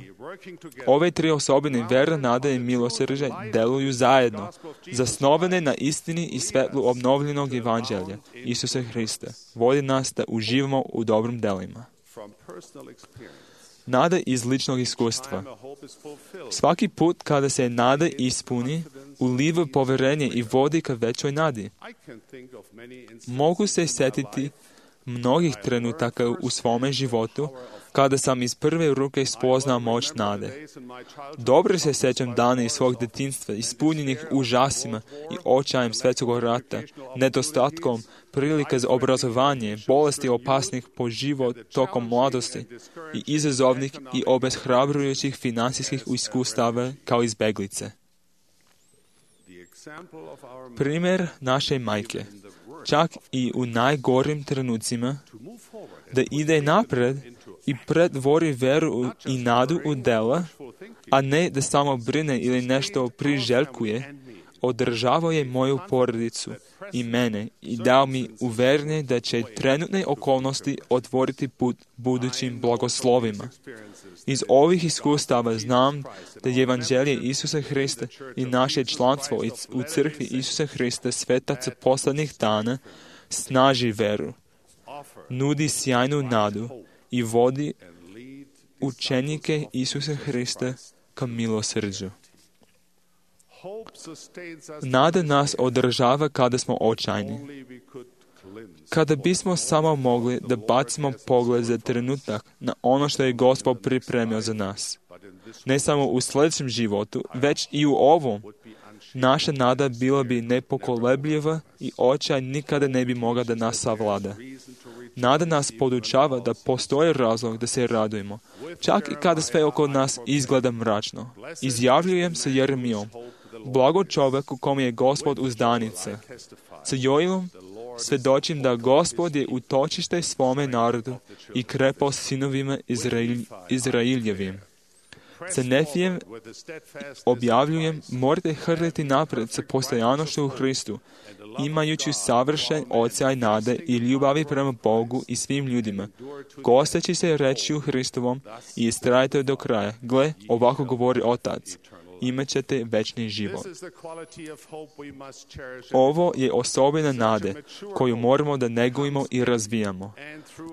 Ove tri osobine, vera, nada i milosrđe, deluju zajedno, zasnovane na istini i svetlu obnovljenog evanđelja, Isusa Hrista. Vodi nas da uživamo u dobrim delima. Nada iz ličnog iskustva. Svaki put kada se nada ispuni, uliva poverenje i vodi ka većoj nadi. Mogu se sjetiti mnogih trenutaka u svome životu kada sam iz prve ruke spoznao moć nade. Dobro se sjećam dana iz svog djetinjstva, ispunjenih užasima i očajem svjetskog rata, nedostatkom prilike za obrazovanje, bolesti opasnih po život tokom mladosti i izazovnih i obeshrabrujućih financijskih iskustava kao izbeglice. Primjer naše majke, čak i u najgorim trenucima, da ide napred i pretvori veru i nadu u dela, a ne da samo brine ili nešto priželjkuje, održavao je moju porodicu i mene i dao mi uvjerenje da će trenutne okolnosti otvoriti put budućim blagoslovima. Iz ovih iskustava znam da je evanđelje Isusa Hrista i naše članstvo u crkvi Isusa Hrista svetaca posljednjih dana snaži veru, nudi sjajnu nadu i vodi učenike Isusa Hrista ka milosrđu. Nada nas održava kada smo očajni. Kada bismo samo mogli da bacimo pogled za trenutak na ono što je Gospod pripremio za nas, ne samo u sljedećem životu, već i u ovom, naša nada bila bi nepokolebljiva i očaj nikada ne bi mogla da nas savlada. Nada nas podučava da postoji razlog da se radujemo, čak i kada sve oko nas izgleda mračno. Izjavljujem sa Jeremijom, blago čovjeku kom je Gospod uzdanica. Sa Joilom svjedočim da Gospod je utočište svome narodu i krepost sinovima Izrail, Izrailjevim. Sa Nefijem objavljujem, morate hrliti napred sa postojanošću u Hristu, imajući savršen odsjaj nade i ljubavi prema Bogu i svim ljudima, gosteći se rečju Hristovom i istrajte do kraja. Gle, ovako govori Otac, imat ćete večni život. Ovo je osobina nade koju moramo da negujemo i razvijamo.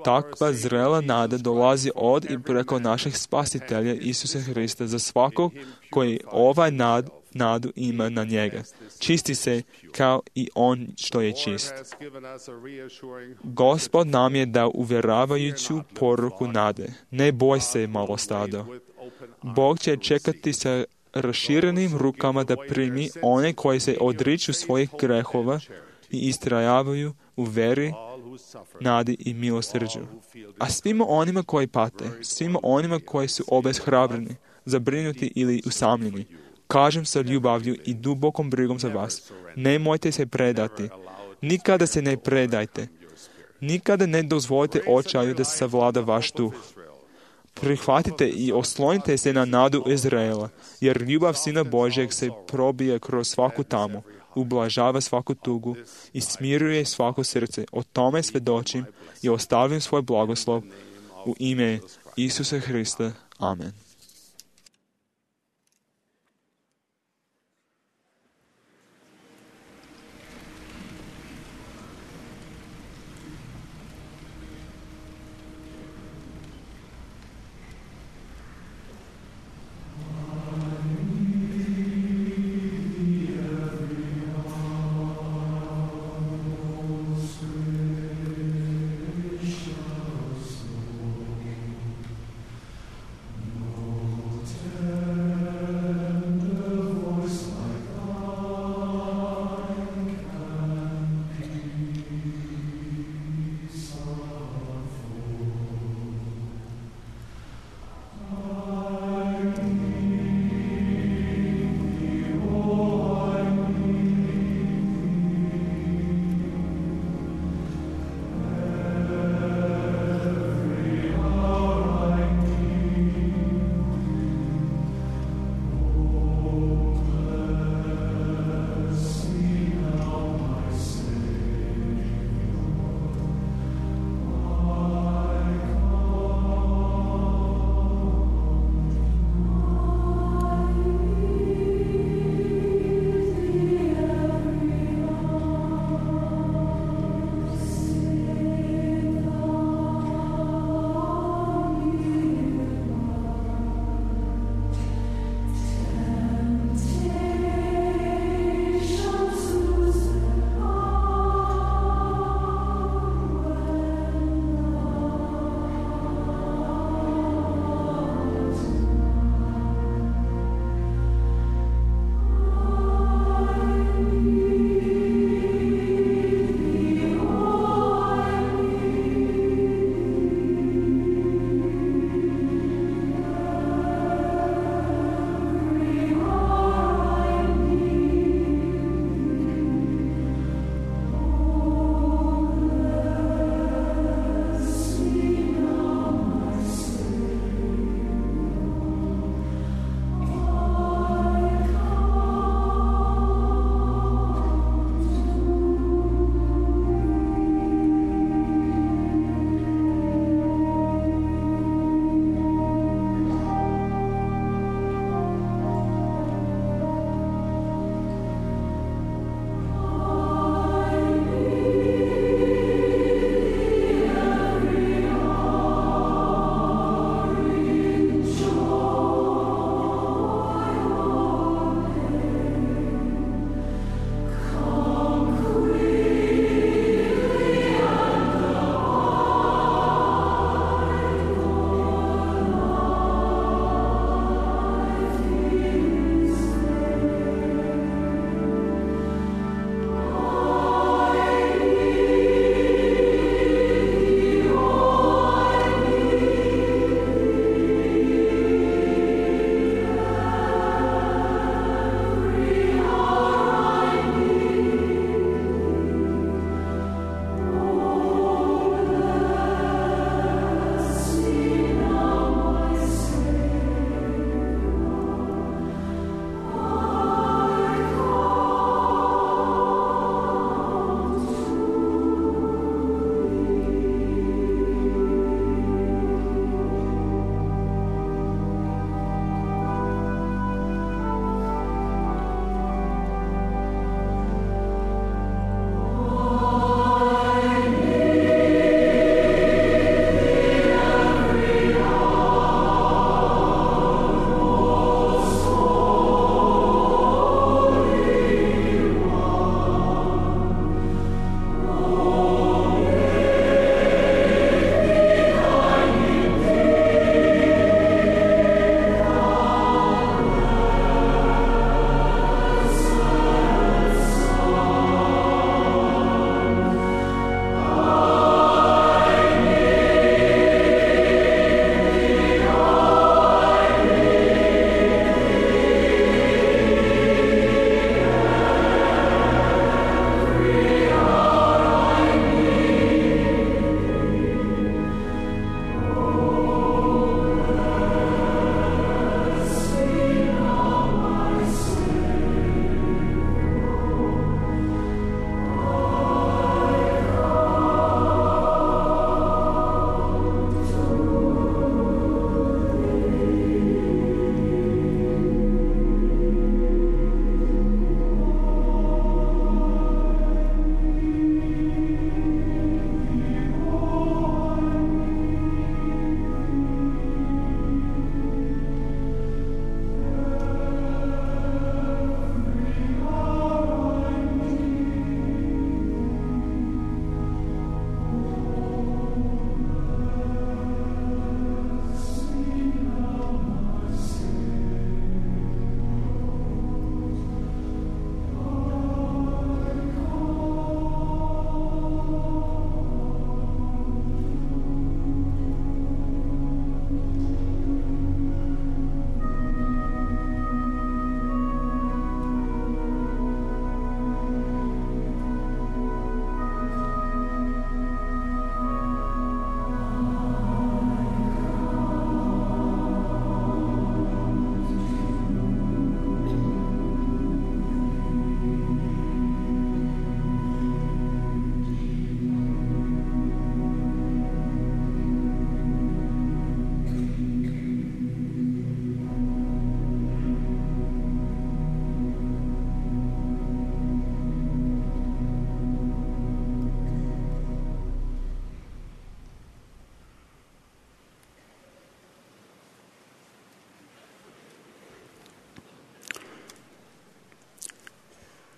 Takva zrela nada dolazi od i preko našeg spasitelja Isusa Hrista za svakog koji ovaj nad, nadu ima na njega. Čisti se kao i on što je čist. Gospod nam je dao uvjeravajuću poruku nade. Ne boj se, malo stado. Bog će čekati sa raširenim rukama da primi one koji se odriču svojih grehova i istrajavaju u veri, nadi i milosrđu. A svima onima koji pate, svima onima koji su obeshrabreni, zabrinuti ili usamljeni, kažem sa ljubavlju i dubokom brigom za vas, nemojte se predati. Nikada se ne predajte. Nikada ne dozvolite očaju da se savlada vaš duh. Prihvatite i oslonite se na nadu Izraela, jer ljubav Sina Božjeg se probija kroz svaku tamu, ublažava svaku tugu i smiruje svako srce. O tome svjedočim i ostavljam svoj blagoslov u ime Isusa Hrista. Amen. No.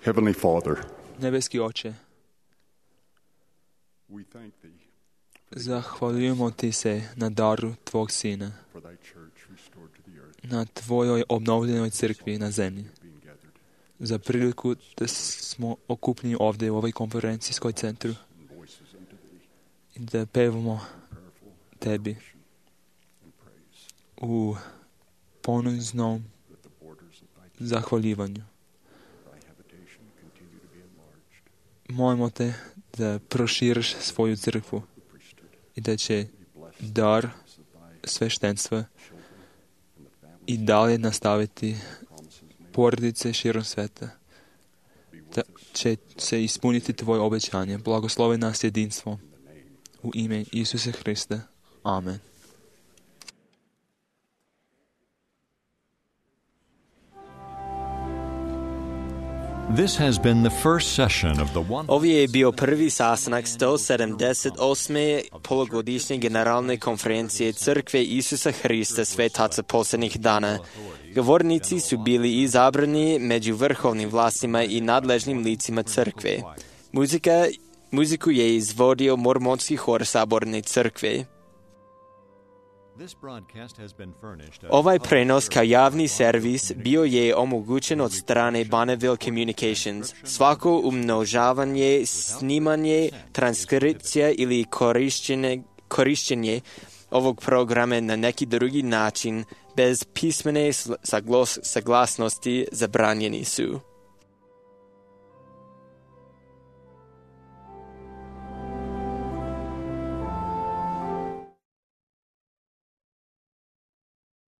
Heavenly Father, Nebeski Oče, we thank thee zahvaljujemo ti se na daru tvog sina, for thy church restored to the earth, na tvojoj obnovljenoj crkvi na zemlji, being gathered za priliku da smo okupljeni ovdje u ovoj konferencijskoj centru in voices unto thee, i da pevamo prayerful tebi and praise, u poniznom that the borders of thy, zahvaljivanju. thy habitation continue to be enlarged, Molimo te da proširiš svoju crkvu the priesthood, i da će be blessed dar of thy sveštenstva children and the families, i dalje nastaviti promises made, porodice širom sveta, be with da us će se ispuniti tvoje obećanje. Blagoslovi nas jedinstvo in the name u ime Isuse Hrista. Amen. This has been the first session of the one. Ovo je bio prvi sastanak sto sedamdeset osme polugodišnje generalne konferencije Crkve Isusa Hrista Svetaca posljednjih dana. Govornici su bili izabrani među vrhovnim vlastima i nadležnim licima crkve. Muzika, muziku je izvodio mormonski hor Saborne crkve. This broadcast has been furnished as Ovaj prenos kao javni servis bio je omogućen od strane Bonneville Communications. Svako umnožavanje, snimanje, transkripcija ili korišćenje, korišćenje ovog programa na neki drugi način bez pismene saglas, saglasnosti zabranjeni su.